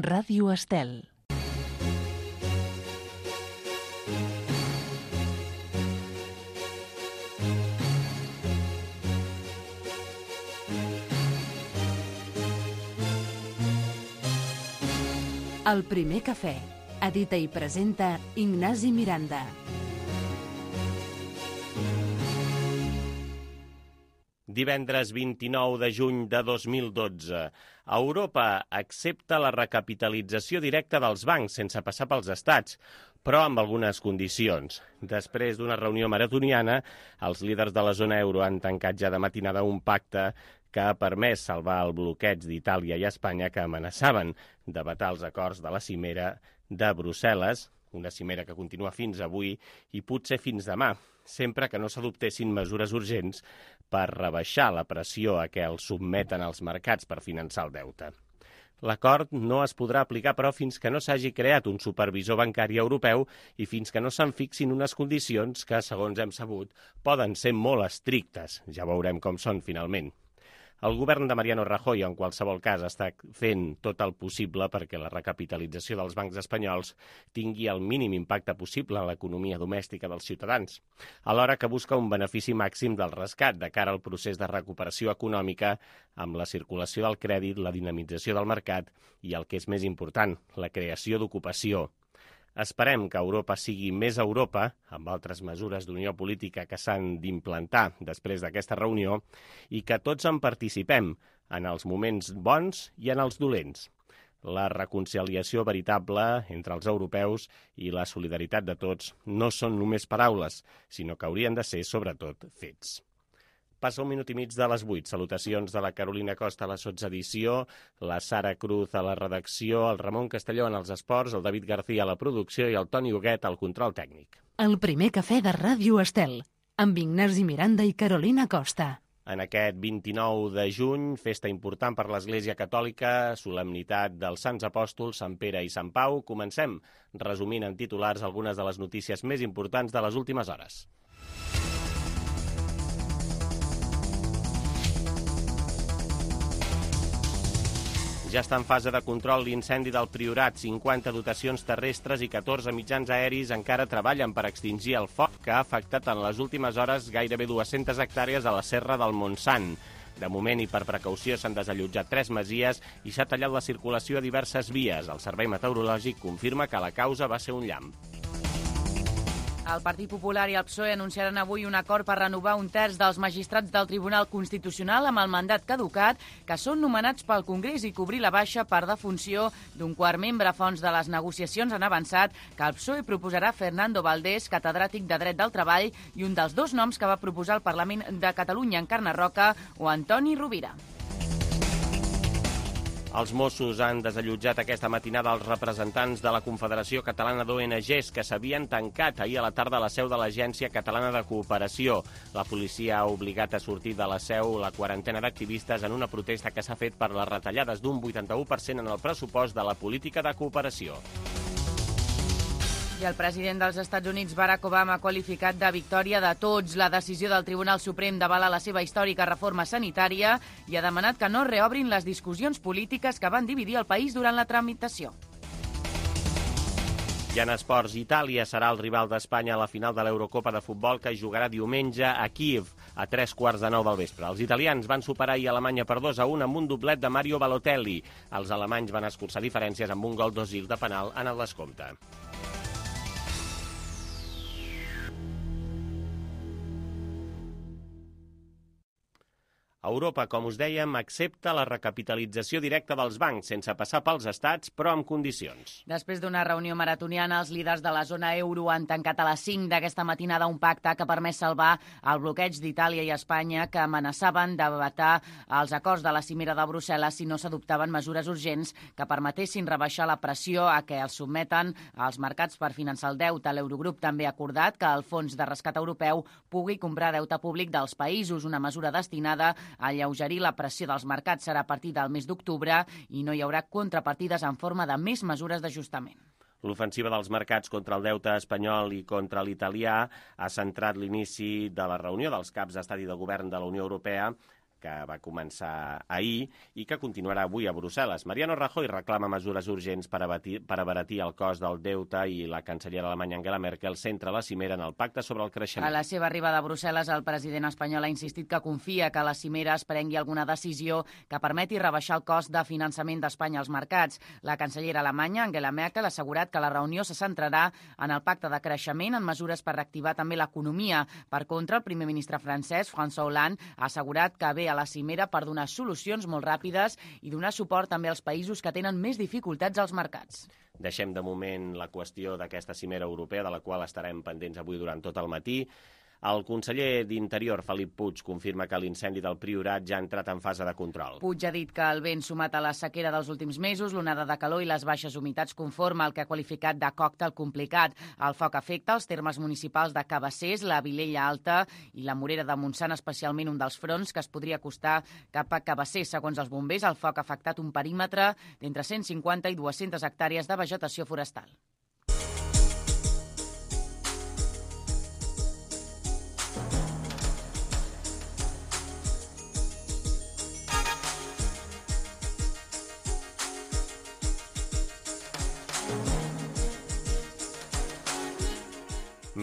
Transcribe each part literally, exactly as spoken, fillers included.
Ràdio Estel. El primer cafè. Edita i presenta Ignasi Miranda. Divendres vint-i-nou de juny de dos mil dotze. Europa accepta la recapitalització directa dels bancs sense passar pels estats, però amb algunes condicions. Després d'una reunió maratoniana, els líders de la zona euro han tancat ja de matinada un pacte que ha permès salvar el bloqueig d'Itàlia i Espanya que amenaçaven de vetar els acords de la cimera de Brussel·les, una cimera que continua fins avui i potser fins demà, sempre que no s'adoptessin mesures urgents per rebaixar la pressió a què els submeten els mercats per finançar el deute. L'acord no es podrà aplicar, però, fins que no s'hagi creat un supervisor bancari europeu i fins que no se'n fixin unes condicions que, segons hem sabut, poden ser molt estrictes. Ja veurem com són, finalment. El govern de Mariano Rajoy, en qualsevol cas, està fent tot el possible perquè la recapitalització dels bancs espanyols tingui el mínim impacte possible en l'economia domèstica dels ciutadans, alhora que busca un benefici màxim del rescat de cara al procés de recuperació econòmica amb la circulació del crèdit, la dinamització del mercat i, el que és més important, la creació d'ocupació. Esperem que Europa sigui més Europa, amb altres mesures d'unió política que s'han d'implantar després d'aquesta reunió, i que tots en participem, en els moments bons i en els dolents. La reconciliació veritable entre els europeus i la solidaritat de tots no són només paraules, sinó que haurien de ser, sobretot, fets. Passa un minut i mig de les vuit. Salutacions de la Carolina Costa a la sotsedició, la Sara Cruz a la redacció, el Ramon Castelló en els esports, el David García a la producció i el Toni Huguet al control tècnic. El primer cafè de Ràdio Estel, amb Ignasi Miranda i Carolina Costa. En aquest vint-i-nou de juny, festa important per l'Església Catòlica, solemnitat dels Sants Apòstols, Sant Pere i Sant Pau. Comencem resumint en titulars algunes de les notícies més importants de les últimes hores. Ja està en fase de control l'incendi del Priorat. cinquanta dotacions terrestres i catorze mitjans aeris encara treballen per extingir el foc que ha afectat en les últimes hores gairebé dues-centes hectàrees a la Serra del Montsant. De moment i per precaució s'han desallotjat tres masies i s'ha tallat la circulació a diverses vies. El Servei Meteorològic confirma que la causa va ser un llamp. El Partit Popular i el P S O E anunciaran avui un acord per renovar un terç dels magistrats del Tribunal Constitucional amb el mandat caducat, que són nomenats pel Congrés, i cobrir la baixa per defunció d'un quart membre. Fonts de les negociacions han avançat que el P S O E proposarà Fernando Valdés, catedràtic de Dret del Treball, i un dels dos noms que va proposar el Parlament de Catalunya, Encarna Roca o Antoni Rovira. Els Mossos han desallotjat aquesta matinada els representants de la Confederació Catalana d'O N Ges que s'havien tancat ahir a la tarda a la seu de l'Agència Catalana de Cooperació. La policia ha obligat a sortir de la seu la quarantena d'activistes en una protesta que s'ha fet per les retallades d'un vuitanta-u per cent en el pressupost de la política de cooperació. I el president dels Estats Units, Barack Obama, ha qualificat de victòria de tots la decisió del Tribunal Suprem d'avalar la seva històrica reforma sanitària i ha demanat que no reobrin les discussions polítiques que van dividir el país durant la tramitació. I en esports, Itàlia serà el rival d'Espanya a la final de l'Eurocopa de futbol que jugarà diumenge a Kíev a tres quarts de nou del vespre. Els italians van superar ahir Alemanya per dos a un amb un doblet de Mario Balotelli. Els alemanys van escurçar diferències amb un gol d'Ozil de penal en el descompte. Europa, com us dèiem, accepta la recapitalització directa dels bancs sense passar pels estats, però amb condicions. Després d'una reunió maratoniana, els líders de la zona euro han tancat a les cinc d'aquesta matinada un pacte que ha permès salvar el bloqueig d'Itàlia i Espanya, que amenaçaven de vetar els acords de la cimera de Brussel·les si no s'adoptaven mesures urgents que permetessin rebaixar la pressió a què els sotmeten els mercats per finançar el deute. L'Eurogrup també ha acordat que el Fons de Rescat Europeu pugui comprar deute públic dels països, una mesura destinada alleugerir la pressió dels mercats. Serà a partir del mes d'octubre i no hi haurà contrapartides en forma de més mesures d'ajustament. L'ofensiva dels mercats contra el deute espanyol i contra l'italià ha centrat l'inici de la reunió dels caps d'estat i de govern de la Unió Europea que va començar ahir i que continuarà avui a Brussel·les. Mariano Rajoy reclama mesures urgents per abaratir, per abaratir el cost del deute i la cancellera alemanya Angela Merkel centra la cimera en el pacte sobre el creixement. A la seva arribada a Brussel·les, el president espanyol ha insistit que confia que la cimera es prengui alguna decisió que permeti rebaixar el cost de finançament d'Espanya als mercats. La cancellera alemanya, Angela Merkel, ha assegurat que la reunió se centrarà en el pacte de creixement, en mesures per reactivar també l'economia. Per contra, el primer ministre francès, François Hollande, ha assegurat que ve a la cimera per donar solucions molt ràpides i donar suport també als països que tenen més dificultats als mercats. Deixem de moment la qüestió d'aquesta cimera europea, de la qual estarem pendents avui durant tot el matí. El conseller d'Interior, Felip Puig, confirma que l'incendi del Priorat ja ha entrat en fase de control. Puig ha dit que el vent sumat a la sequera dels últims mesos, l'onada de calor i les baixes humitats conforma el que ha qualificat de còctel complicat. El foc afecta els termes municipals de Cabassers, la Vilella Alta i la Morera de Montsant, especialment un dels fronts que es podria acostar cap a Cabassers. Segons els bombers, el foc ha afectat un perímetre d'entre cent cinquanta i dues-centes hectàrees de vegetació forestal.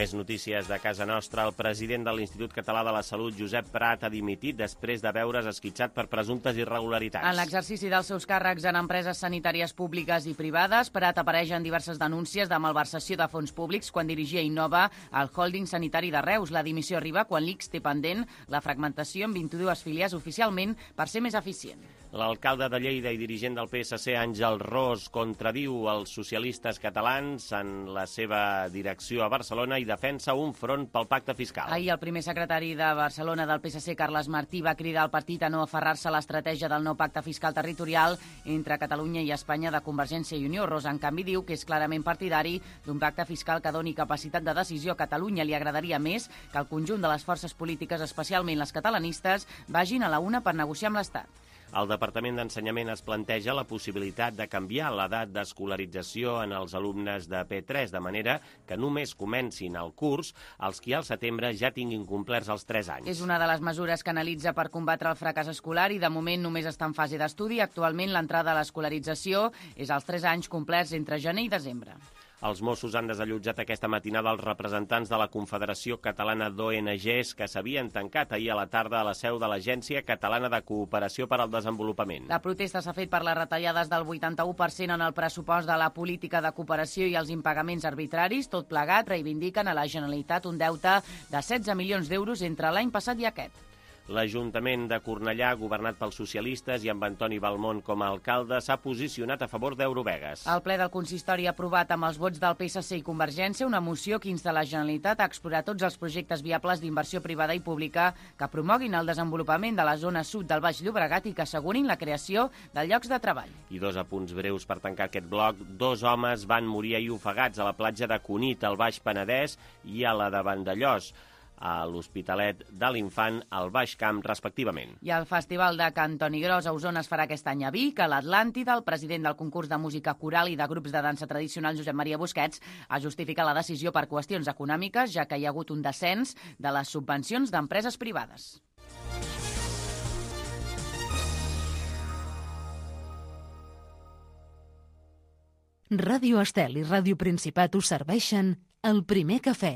Més notícies de casa nostra. El president de l'Institut Català de la Salut, Josep Prat, ha dimitit després de veure's esquitxat per presumptes irregularitats. En l'exercici dels seus càrrecs en empreses sanitàries públiques i privades, Prat apareix en diverses denúncies de malversació de fons públics quan dirigia Innova al holding sanitari de Reus. La dimissió arriba quan l'I C S té pendent la fragmentació en vint-i-dues filials oficialment per ser més eficient. L'alcalde de Lleida i dirigent del P S C, Àngel Ros, contradiu els socialistes catalans en la seva direcció a Barcelona i defensa un front pel pacte fiscal. Ahir el primer secretari de Barcelona del P S C, Carles Martí, va cridar al partit a no aferrar-se a l'estratègia del nou pacte fiscal territorial entre Catalunya i Espanya de Convergència i Unió. Ros, en canvi, diu que és clarament partidari d'un pacte fiscal que doni capacitat de decisió a Catalunya. Li agradaria més que el conjunt de les forces polítiques, especialment les catalanistes, vagin a la una per negociar amb l'Estat. El Departament d'Ensenyament es planteja la possibilitat de canviar l'edat d'escolarització en els alumnes de P tres, de manera que només comencin el curs els qui al setembre ja tinguin complerts els tres anys. És una de les mesures que analitza per combatre el fracàs escolar i de moment només està en fase d'estudi. Actualment l'entrada a l'escolarització és als tres anys complerts entre gener i desembre. Els Mossos han desallotjat aquesta matinada els representants de la Confederació Catalana d'O N Ges que s'havien tancat ahir a la tarda a la seu de l'Agència Catalana de Cooperació per al Desenvolupament. La protesta s'ha fet per les retallades del vuitanta-u per cent en el pressupost de la política de cooperació i els impagaments arbitraris. Tot plegat reivindiquen a la Generalitat un deute de setze milions d'euros entre l'any passat i aquest. L'Ajuntament de Cornellà, governat pels socialistes i amb Antoni Balmont com a alcalde, s'ha posicionat a favor d'Eurovegas. El ple del consistori ha aprovat amb els vots del P S C i Convergència una moció que insta la Generalitat a explorar tots els projectes viables d'inversió privada i pública que promoguin el desenvolupament de la zona sud del Baix Llobregat i que assegurin la creació de llocs de treball. I dos apunts breus per tancar aquest bloc. Dos homes van morir ahir ofegats a la platja de Cunit, al Baix Penedès, i a la de Vandellòs, a l'Hospitalet de l'Infant, al Baix Camp, respectivament. I el Festival de Cantoni Gros a Osona es farà aquest any a Vic. A l'Atlàntida, el president del concurs de música coral i de grups de dansa tradicional, Josep Maria Busquets, ha justificat la decisió per qüestions econòmiques, ja que hi ha hagut un descens de les subvencions d'empreses privades. Ràdio Estel i Ràdio Principat us serveixen el primer cafè.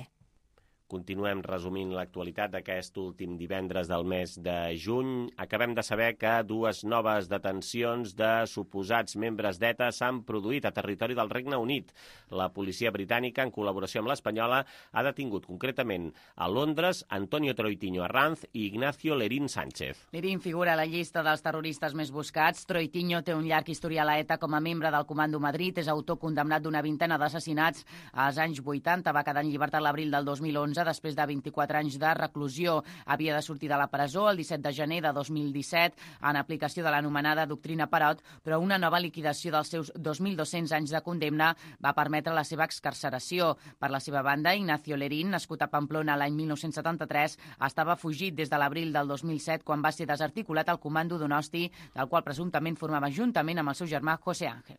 Continuem resumint l'actualitat d'aquest últim divendres del mes de juny. Acabem de saber que dues noves detencions de suposats membres d'ETA s'han produït a territori del Regne Unit. La policia britànica, en col·laboració amb l'espanyola, ha detingut concretament a Londres Antonio Troitiño Arranz i Ignacio Lerín Sánchez. Lerín figura a la llista dels terroristes més buscats. Troitiño té un llarg historial a ETA com a membre del Comando Madrid. És autor condemnat d'una vintena d'assassinats als anys vuitanta. Va quedar en llibertat l'abril del dos mil onze després de vint-i-quatre anys de reclusió. Havia de sortir de la presó el disset de gener de dos mil disset en aplicació de l'anomenada doctrina Parot, però una nova liquidació dels seus dos mil dos-cents anys de condemna va permetre la seva excarceració. Per la seva banda, Ignacio Lerín, nascut a Pamplona l'any mil nou-cents setanta-tres, estava fugit des de l'abril del dos mil set quan va ser desarticulat al comando Donosti, del qual presumptament formava juntament amb el seu germà José Ángel.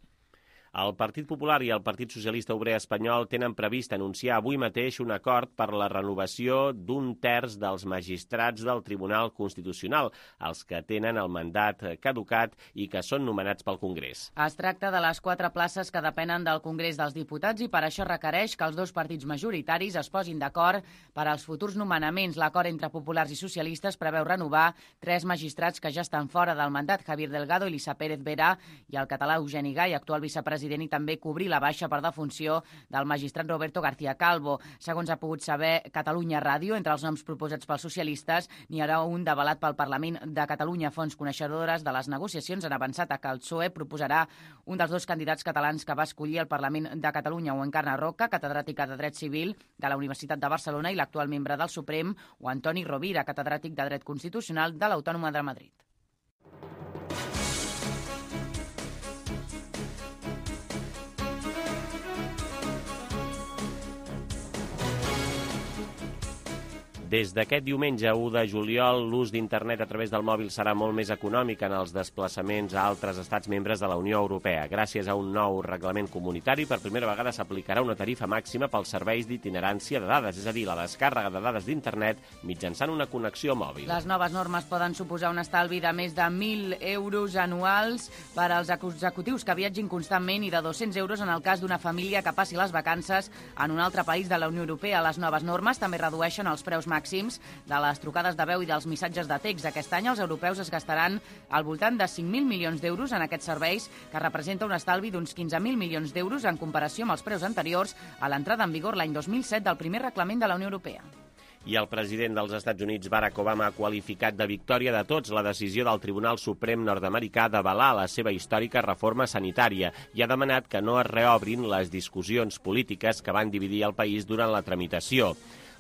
El Partit Popular i el Partit Socialista Obrer Espanyol tenen previst anunciar avui mateix un acord per la renovació d'un terç dels magistrats del Tribunal Constitucional, els que tenen el mandat caducat i que són nomenats pel Congrés. Es tracta de les quatre places que depenen del Congrés dels Diputats i per això requereix que els dos partits majoritaris es posin d'acord per als futurs nomenaments. L'acord entre populars i socialistes preveu renovar tres magistrats que ja estan fora del mandat, Javier Delgado, Elisa Pérez Vera i el català Eugeni Gai, actual vicepresident, i també cobrir la baixa per defunció del magistrat Roberto García Calvo. Segons ha pogut saber Catalunya Ràdio, entre els noms proposats pels socialistes n'hi haurà un d'avalat pel Parlament de Catalunya. Fonts coneixedores de les negociacions han avançat a que el P S O E proposarà un dels dos candidats catalans que va escollir el Parlament de Catalunya, o Encarna Roca, catedràtica de Dret Civil de la Universitat de Barcelona i l'actual membre del Suprem, o Antoni Rovira, catedràtic de Dret Constitucional de l'Autònoma de Madrid. Des d'aquest diumenge u de juliol, l'ús d'internet a través del mòbil serà molt més econòmic en els desplaçaments a altres estats membres de la Unió Europea. Gràcies a un nou reglament comunitari, per primera vegada s'aplicarà una tarifa màxima pels serveis d'itinerància de dades, és a dir, la descàrrega de dades d'internet mitjançant una connexió mòbil. Les noves normes poden suposar un estalvi de més de mil euros anuals per als executius que viatgin constantment i de dos-cents euros en el cas d'una família que passi les vacances en un altre país de la Unió Europea. Les noves normes també redueixen els preus màxims de les trucades de veu i dels missatges de text. Aquest any els europeus es gastaran al voltant de cinc mil milions d'euros en aquests serveis, que representa un estalvi d'uns quinze mil milions d'euros en comparació amb els preus anteriors a l'entrada en vigor l'any dos mil set del primer reglament de la Unió Europea. I el president dels Estats Units, Barack Obama, ha qualificat de victòria de tots la decisió del Tribunal Suprem nord-americà d'avalar la seva històrica reforma sanitària i ha demanat que no es reobrin les discussions polítiques que van dividir el país durant la tramitació.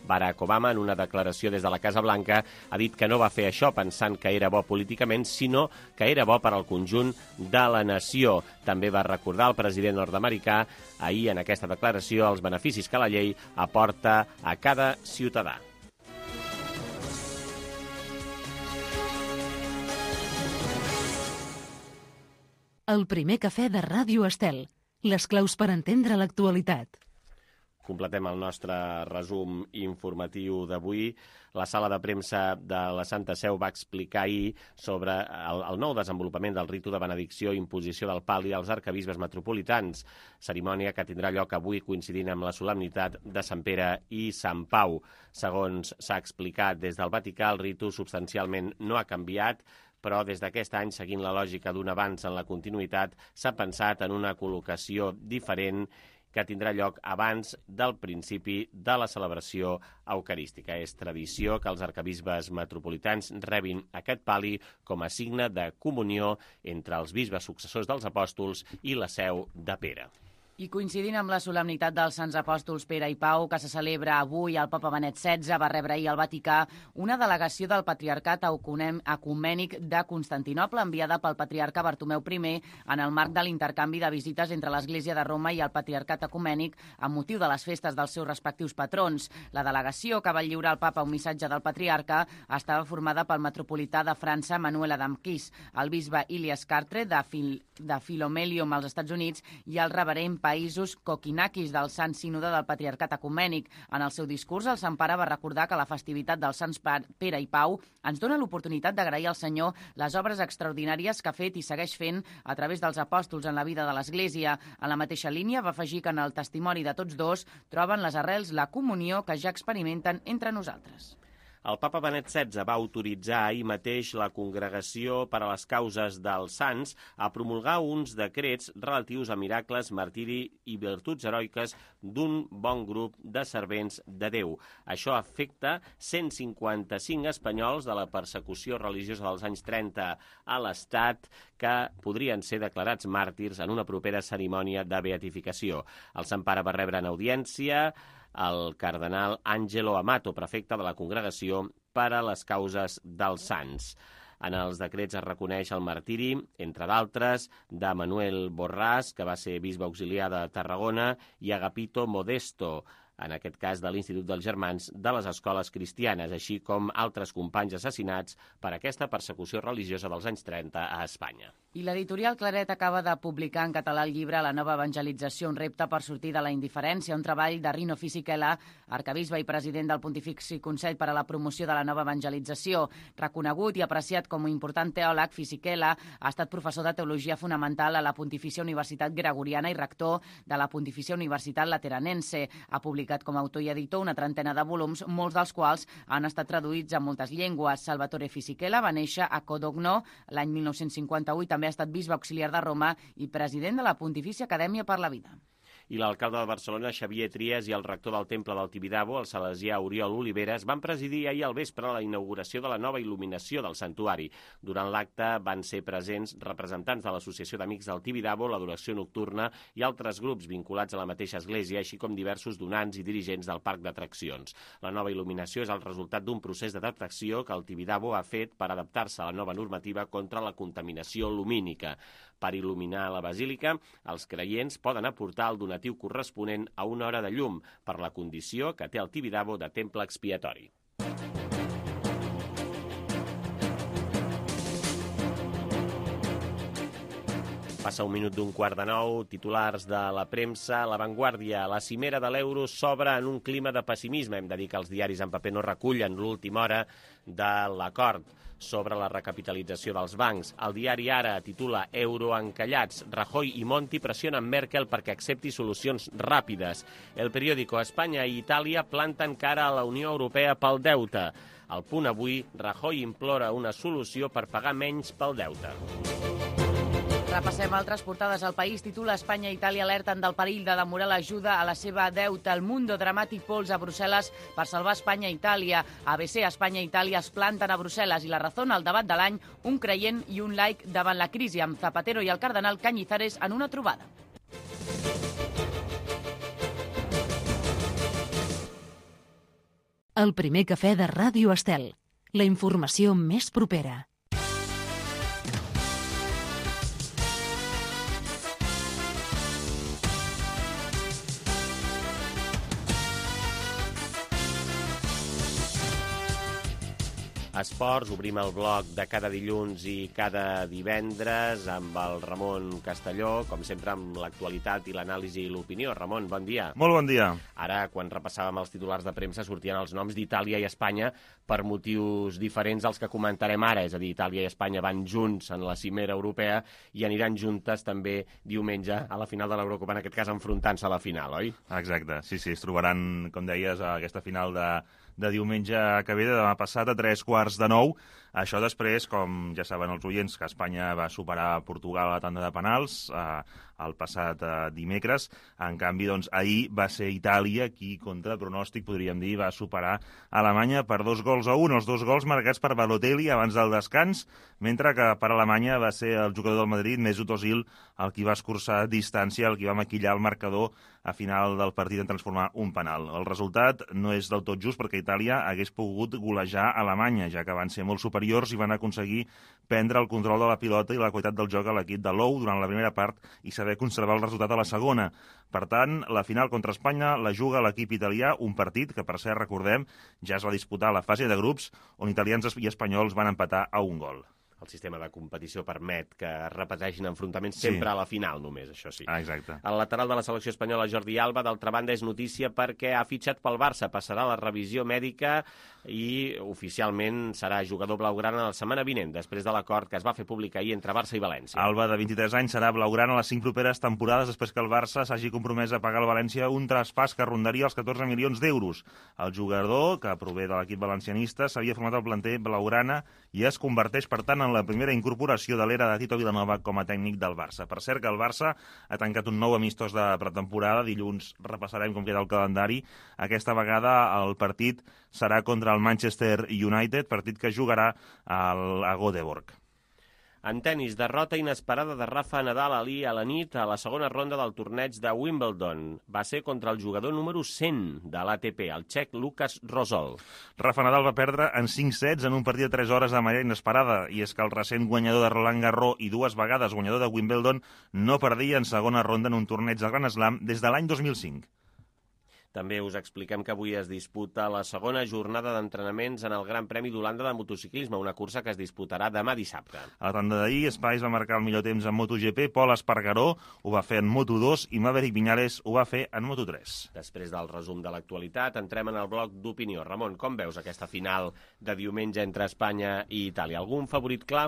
Barack Obama, en una declaració des de la Casa Blanca, ha dit que no va fer això pensant que era bo políticament, sinó que era bo per al conjunt de la nació. També va recordar el president nord-americà ahir en aquesta declaració els beneficis que la llei aporta a cada ciutadà. El primer cafè de Ràdio Estel. Les claus per entendre l'actualitat. Completem el nostre resum informatiu d'avui. La sala de premsa de la Santa Seu va explicar ahir sobre el, el nou desenvolupament del ritu de benedicció i imposició del pal i als arquebisbes metropolitans, cerimònia que tindrà lloc avui coincidint amb la solemnitat de Sant Pere i Sant Pau. Segons s'ha explicat des del Vaticà, el ritu substancialment no ha canviat, però des d'aquest any, seguint la lògica d'un avanç en la continuïtat, s'ha pensat en una col·locació diferent que tindrà lloc abans del principi de la celebració eucarística. És tradició que els arquebisbes metropolitans rebin aquest pal·li com a signe de comunió entre els bisbes successors dels apòstols i la seu de Pere. I coincidint amb la solemnitat dels Sants Apòstols Pere i Pau, que se celebra avui, el papa Benet setze va rebre ahir al Vaticà una delegació del Patriarcat Ecumènic de Constantinoble enviada pel patriarca Bartomeu I en el marc de l'intercanvi de visites entre l'Església de Roma i el Patriarcat Ecumènic amb motiu de les festes dels seus respectius patrons. La delegació, que va lliurar al papa un missatge del patriarca, estava formada pel metropolità de França, Manuel Adamquis, el bisbe Ilias Cartre de, Fil de Filomelium als Estats Units i el reverend Països Kokinakis del Sant Sínode del Patriarcat Ecumènic. En el seu discurs, el Sant Pare va recordar que la festivitat dels Sants Pere i Pau ens dona l'oportunitat d'agrair al Senyor les obres extraordinàries que ha fet i segueix fent a través dels apòstols en la vida de l'Església. En la mateixa línia va afegir que en el testimoni de tots dos troben les arrels, la comunió que ja experimenten entre nosaltres. El papa Benet setze va autoritzar ahir mateix la Congregació per a les Causes dels Sants a promulgar uns decrets relatius a miracles, martiri i virtuts heroiques d'un bon grup de servents de Déu. Això afecta cent cinquanta-cinc espanyols de la persecució religiosa dels anys trenta a l'Estat que podrien ser declarats màrtirs en una propera cerimònia de beatificació. El Sant Pare va rebre en audiència el cardenal Angelo Amato, prefecte de la Congregació per a les Causes dels Sants. En els decrets es reconeix el martiri, entre d'altres, de Manuel Borràs, que va ser bisbe auxiliar de Tarragona, i Agapito Modesto, en aquest cas de l'Institut dels Germans de les Escoles Cristianes, així com altres companys assassinats per aquesta persecució religiosa dels anys trenta a Espanya. I l'editorial Claret acaba de publicar en català el llibre La nova evangelització, un repte per sortir de la indiferència, un treball de Rino Fisichella, arquebisbe i president del Pontifici Consell per a la Promoció de la Nova Evangelització. Reconegut i apreciat com a important teòleg, Fisichella ha estat professor de Teologia Fonamental a la Pontifícia Universitat Gregoriana i rector de la Pontifícia Universitat Lateranense. Ha publicat com a autor i editor una trentena de volums, molts dels quals han estat traduïts a moltes llengües. Salvatore Fisichella va néixer a Codogno l'any mil nou-cents cinquanta-vuit, també ha estat bisbe auxiliar de Roma i president de la Pontifícia Acadèmia per la Vida. I l'alcalde de Barcelona, Xavier Trias, i el rector del Temple del Tibidabo, el salesià Oriol Oliveres, van presidir ahir al vespre la inauguració de la nova il·luminació del santuari. Durant l'acte van ser presents representants de l'Associació d'Amics del Tibidabo, l'Adoració Nocturna i altres grups vinculats a la mateixa església, així com diversos donants i dirigents del parc d'atraccions. La nova il·luminació és el resultat d'un procés d'adaptació que el Tibidabo ha fet per adaptar-se a la nova normativa contra la contaminació lumínica. Per il·luminar la basílica, els creients poden aportar el donatiu corresponent a una hora de llum per la condició que té el Tibidabo de temple expiatori. Passa un minut d'un quart de nou, titulars de la premsa, La Vanguardia. La cimera de l'euro s'obre en un clima de pessimisme. Hem de dir que els diaris en paper no recullen l'última hora de l'acord sobre la recapitalització dels bancs. El diari Ara titula Euro encallats. Rajoy i Monti pressionen Merkel perquè accepti solucions ràpides. El periòdico Espanya i Itàlia planten cara a la Unió Europea pel deute. Al Punt Avui, Rajoy implora una solució per pagar menys pel deute. Repassem altres portades al país. Titula Espanya i Itàlia alerten del perill de demorar l'ajuda a la seva deuta. El Mundo dramàtic pols a Brussel·les per salvar Espanya i Itàlia. A B C, Espanya i Itàlia es planten a Brussel·les. I La Razón, el debat de l'any, un creient i un laic davant la crisi, amb Zapatero i el cardenal Cañizares en una trobada. El primer cafè de Ràdio Estel. La informació més propera. Esports, obrim el bloc de cada dilluns i cada divendres amb el Ramon Castelló, com sempre amb l'actualitat i l'anàlisi i l'opinió. Ramon, bon dia. Molt bon dia. Ara, quan repassàvem els titulars de premsa, sortien els noms d'Itàlia i Espanya per motius diferents als que comentarem ara. És a dir, Itàlia i Espanya van junts en la cimera europea i aniran juntes també diumenge a la final de l'Eurocopa, en aquest cas enfrontant-se a la final, oi? Exacte, sí, sí, es trobaran, com deies, a aquesta final de... de diumenge que ve, de demà passat, a tres quarts de nou. Això després, com ja saben els oients, que Espanya va superar Portugal a la tanda de penals eh, el passat eh, dimecres. En canvi, doncs, ahir va ser Itàlia qui, contra pronòstic, podríem dir, va superar Alemanya per dos gols a un. Els dos gols marcats per Balotelli abans del descans, mentre que per Alemanya va ser el jugador del Madrid, Mesut Özil, el qui va escurçar distància, el qui va maquillar el marcador a final del partit en transformar un penal. El resultat no és del tot just perquè Itàlia hagués pogut golejar Alemanya, ja que van ser molt superiors i van aconseguir prendre el control de la pilota i la qualitat del joc a l'equip de Lou durant la primera part i saber conservar el resultat a la segona. Per tant, la final contra Espanya la juga l'equip italià, un partit que, per cert, recordem, ja es va disputar a la fase de grups, on italians i espanyols van empatar a un gol. El sistema de competició permet que es repeteixin enfrontaments sempre sí. a la final, només, això sí. Ah, exacte. El lateral de la selecció espanyola, Jordi Alba, d'altra banda, és notícia perquè ha fitxat pel Barça, passarà la revisió mèdica i oficialment serà jugador blaugrana la setmana vinent, després de l'acord que es va fer públic ahir entre Barça i València. Alba, de vint-i-tres anys, serà blaugrana les cinc properes temporades després que el Barça s'hagi compromès a pagar al València un traspàs que rondaria els catorze milions d'euros. El jugador, que prové de l'equip valencianista, s'havia format al planter blaugrana i es converteix, per tant, en la primera incorporació de l'era de Tito Vilanova com a tècnic del Barça. Per cert, que el Barça ha tancat un nou amistós de pretemporada. Dilluns repassarem com queda el calendari. Aquesta vegada el partit serà contra el Manchester United, partit que jugarà al, a Göteborg. En tenis, derrota inesperada de Rafa Nadal ahir a la nit a la segona ronda del torneig de Wimbledon. Va ser contra el jugador número cent de l'A T P, el txec Lukas Rosol. Rafa Nadal va perdre en cinc sets en un partit de tres hores de manera inesperada, i és que el recent guanyador de Roland Garros i dues vegades guanyador de Wimbledon no perdia en segona ronda en un torneig de Grand Slam des de l'any dos mil cinc. També us expliquem que avui es disputa la segona jornada d'entrenaments en el Gran Premi d'Holanda de motociclisme, una cursa que es disputarà demà dissabte. A la tanda d'ahir, Spice va marcar el millor temps en MotoGP, Pol Espargaró ho va fer en Moto dos i Maverick Viñales ho va fer en Moto tres. Després del resum de l'actualitat, entrem en el bloc d'opinió. Ramon, com veus aquesta final de diumenge entre Espanya i Itàlia? Algun favorit clar?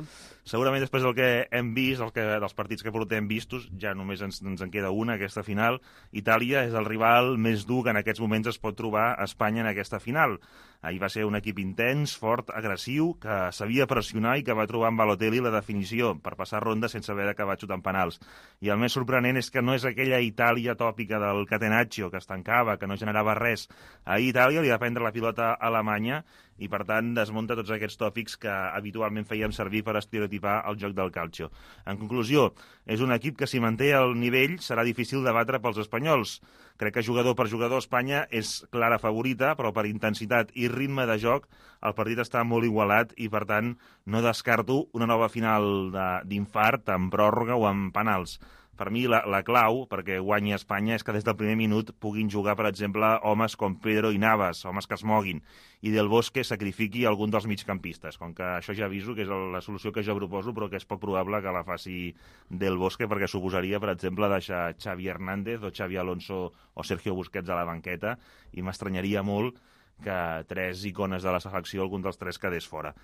Segurament després del que hem vist, el que, dels partits que portem vistos, ja només ens, ens en queda una, aquesta final. Itàlia és el rival més dur que en aquests moments es pot trobar a Espanya en aquesta final. Ahir va ser un equip intens, fort, agressiu, que sabia pressionar i que va trobar en Balotelli la definició per passar ronda sense haver d'acabar xutant penals. I el més sorprenent és que no és aquella Itàlia tòpica del Catenaccio, que es tancava, que no generava res. Ahir Itàlia li va prendre la pilota a Alemanya i, per tant, desmunta tots aquests tòpics que habitualment fèiem servir per estereotipar el joc del calcio. En conclusió, és un equip que, si manté el nivell, serà difícil de batre pels espanyols. Crec que jugador per jugador Espanya és clara favorita, però per intensitat i ritme de joc el partit està molt igualat i, per tant, no descarto una nova final d'infart amb pròrroga o amb penals. Per mi, la, la clau perquè guanyi Espanya és que des del primer minut puguin jugar, per exemple, homes com Pedro i Navas, homes que es moguin, i Del Bosque sacrifiqui algun dels migcampistes, com que això ja aviso que és la solució que jo proposo, però que és poc probable que la faci Del Bosque, perquè suposaria, per exemple, deixar Xavi Hernández o Xavi Alonso o Sergio Busquets a la banqueta, i m'estranyaria molt que tres icones de la selecció, algun dels tres quedés fora.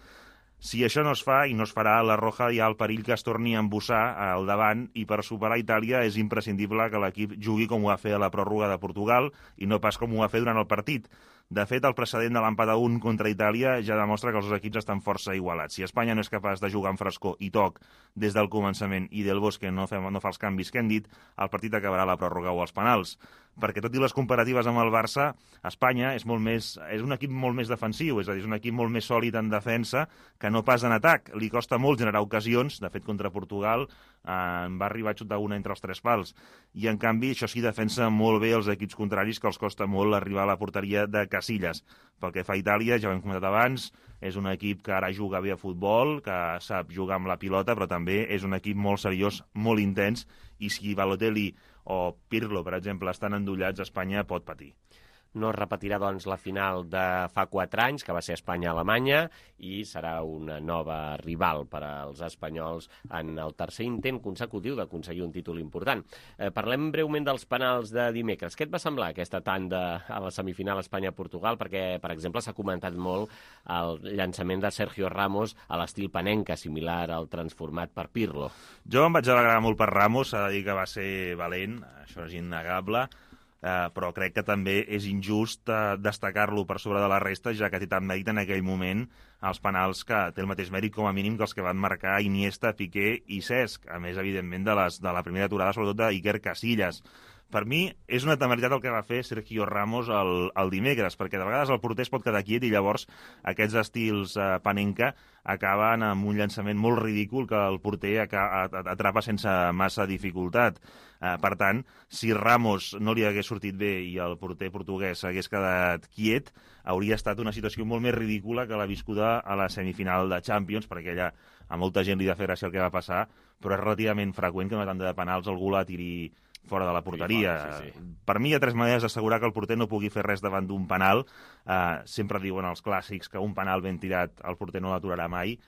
Si això no es fa i no es farà, la Roja hi ha el perill que es torni a embussar al davant i per superar Itàlia és imprescindible que l'equip jugui com ho va fer a la pròrroga de Portugal i no pas com ho va fer durant el partit. De fet, el precedent de l'empat a un contra Itàlia ja demostra que els dos equips estan força igualats. Si Espanya no és capaç de jugar amb frescor i toc des del començament i Del Bosque no fa, no fa els canvis que hem dit, el partit acabarà a la pròrroga o als penals. Perquè tot i les comparatives amb el Barça, Espanya és, molt més, és un equip molt més defensiu, és a dir, és un equip molt més sòlid en defensa que no pas en atac. Li costa molt generar ocasions, de fet contra Portugal eh, va arribar a xutar una entre els tres pals, i en canvi això sí defensa molt bé els equips contraris, que els costa molt arribar a la porteria de Casillas. Pel que fa a Itàlia, ja ho hem comentat abans, és un equip que ara juga bé a futbol, que sap jugar amb la pilota, però també és un equip molt seriós, molt intens, i si Balotelli o Pirlo, per exemple, estan endollats, Espanya pot patir. No es repetirà, doncs, la final de fa quatre anys, que va ser Espanya-Alemanya, i serà una nova rival per als espanyols en el tercer intent consecutiu d'aconseguir un títol important. Eh, parlem breument dels penals de dimecres. Què et va semblar aquesta tanda a la semifinal Espanya-Portugal? Perquè, per exemple, s'ha comentat molt el llançament de Sergio Ramos a l'estil Panenka, similar al transformat per Pirlo. Jo em vaig alegrar molt per Ramos, s'ha de dir que va ser valent, això és innegable, Uh, però crec que també és injust uh, destacar-lo per sobre de la resta, ja que té tant mèrit en aquell moment els penals, que té el mateix mèrit com a mínim que els que van marcar Iniesta, Piqué i Cesc, a més, evidentment, de, les, de la primera aturada, sobretot d'Iker Casillas. Per mi és una temeritat el que va fer Sergio Ramos el, el dimecres, perquè de vegades el porter es pot quedar quiet i llavors aquests estils eh, Panenka acaben amb un llançament molt ridícul que el porter atrapa sense massa dificultat. Eh, per tant, si Ramos no li hagués sortit bé i el porter portuguès hagués quedat quiet, hauria estat una situació molt més ridícula que la viscuda a la semifinal de Champions, perquè allà a molta gent li va fer gràcia el que va passar, però és relativament freqüent que una tanda de penals algú la tiri fora de la porteria. Sí, sí. Per mi hi ha tres maneres d'assegurar que el porter no pugui fer res davant d'un penal. Uh, sempre diuen els clàssics que un penal ben tirat el porter no l'aturarà mai.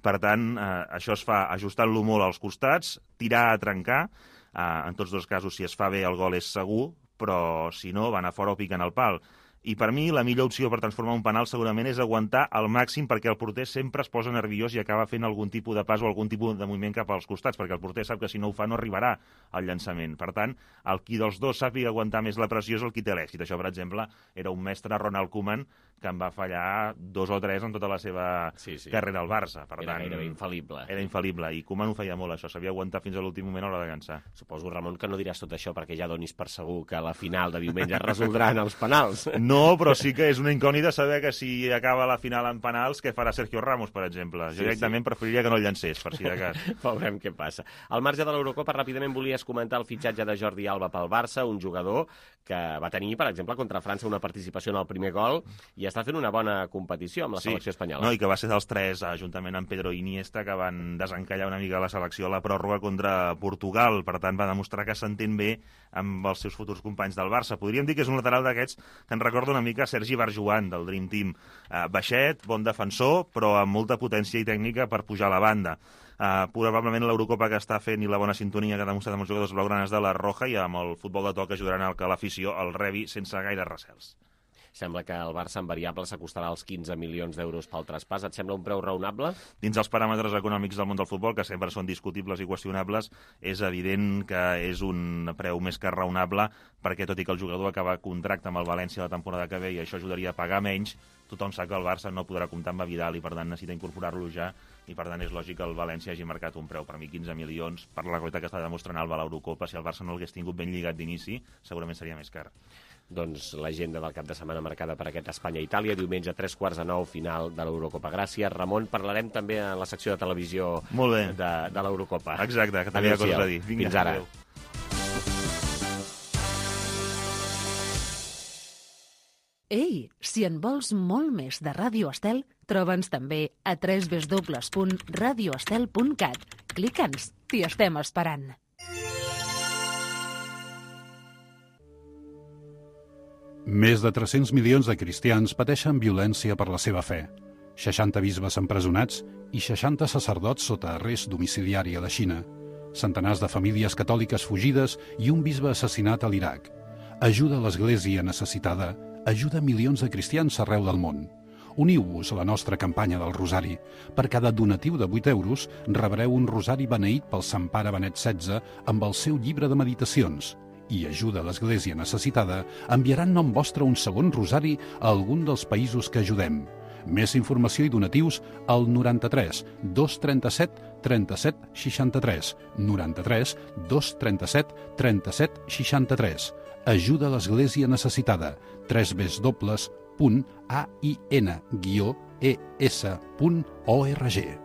Per tant, uh, això es fa ajustant-lo molt als costats, tirar a trencar. Uh, en tots dos casos, si es fa bé, el gol és segur, però si no, van a fora o piquen el pal. I per mi la millor opció per transformar un penal segurament és aguantar al màxim, perquè el porter sempre es posa nerviós i acaba fent algun tipus de pas o algun tipus de moviment cap als costats, perquè el porter sap que si no ho fa no arribarà al llançament. Per tant, el qui dels dos sàpiga aguantar més la pressió és el qui té l'èxit. Això, per exemple, era un mestre, Ronald Koeman, que en va fallar dos o tres en tota la seva sí, sí. carrera al Barça. Per era tant, gairebé infal·lible. Era infal·lible, i Koeman ho feia molt, això, sabia aguantar fins a l'últim moment a l'hora de cansar. Suposo, Ramon, que no diràs tot això perquè ja donis per segur que la final de diumenge es resoldran els penals. No, però sí que és una incògnita saber que si acaba la final en penals, què farà Sergio Ramos, per exemple. Jo sí, directament sí. preferiria que no el llancés, per si de cas. Veurem què passa. Al marge de l'Eurocopa, ràpidament volies comentar el fitxatge de Jordi Alba pel Barça, un jugador que va tenir, per exemple, contra França una participació en el primer gol i està fent una bona competició amb la sí. selecció espanyola. No, i que va ser dels tres, juntament amb Pedro i Iniesta, que van desencallar una mica la selecció a la pròrroga contra Portugal. Per tant, va demostrar que s'entén bé amb els seus futurs companys del Barça. Podríem dir que és un lateral d'aquests que ens recorda una mica Sergi Barjuan, del Dream Team. Uh, baixet, bon defensor, però amb molta potència i tècnica per pujar a la banda. Uh, probablement l'Eurocopa que està fent i la bona sintonia que ha demostrat amb els jugadors blaugranes de la Roja i amb el futbol de toc ajudaran al que l'afició el rebi sense gaire recels. Sembla que el Barça en variable s'acostarà als quinze milions d'euros pel traspàs. Et sembla un preu raonable? Dins els paràmetres econòmics del món del futbol, que sempre són discutibles i qüestionables, és evident que és un preu més que raonable, perquè tot i que el jugador acaba contracte amb el València la temporada que ve i això ajudaria a pagar menys, tothom sap que el Barça no podrà comptar amb Vidal i per tant necessita incorporar-lo ja, i per tant és lògic que el València hagi marcat un preu. Per mi quinze milions, per la qualitat que està demostrant Alba a l'Eurocopa, si el Barça no l'hagués tingut ben lligat d'inici, segurament seria més car. Doncs l'agenda del cap de setmana marcada per aquest Espanya-Itàlia, diumenge a tres quarts de nou, final de l'Eurocopa. Gràcies, Ramon. Parlarem també en la secció de televisió Molt bé. de, de l'Eurocopa. Exacte, que també hi ha coses a dir. Vinga, fins ara. Adéu. Ei, si en vols molt més de Ràdio Estel, troba'ns també a w w w punt radio estel punt cat. Clica'ns, t'hi estem esperant. Més de tres-cents milions de cristians pateixen violència per la seva fe. seixanta bisbes empresonats i seixanta sacerdots sota arrest domiciliari a la Xina. Centenars de famílies catòliques fugides i un bisbe assassinat a l'Iraq. Ajuda a l'Església necessitada. Ajuda milions de cristians arreu del món. Uniu-vos a la nostra campanya del Rosari. Per cada donatiu de vuit euros rebreu un rosari beneït pel Sant Pare Benet setze amb el seu llibre de meditacions. I Ajuda a l'Església necessitada enviarà en nom vostre un segon rosari a algun dels països que ajudem. Més informació i donatius al noranta-tres dos trenta-set trenta-set seixanta-tres, noranta-tres dos trenta-set trenta-set seixanta-tres. Ajuda a l'Església necessitada. tres w punt a i n guió e s punt org.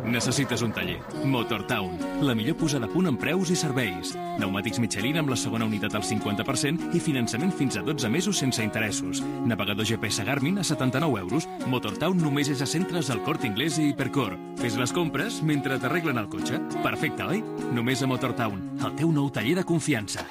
Necessites un taller. Motortown, la millor posada a punt en preus i serveis. Pneumàtics Michelin amb la segona unitat al cinquanta per cent i finançament fins a dotze mesos sense interessos. Navegador G P S Garmin a setanta-nou euros. Motortown només és a centres del Corte Inglés i Hipercor. Fes les compres mentre t'arreglen el cotxe. Perfecte, oi? Només a Motortown, el teu nou taller de confiança.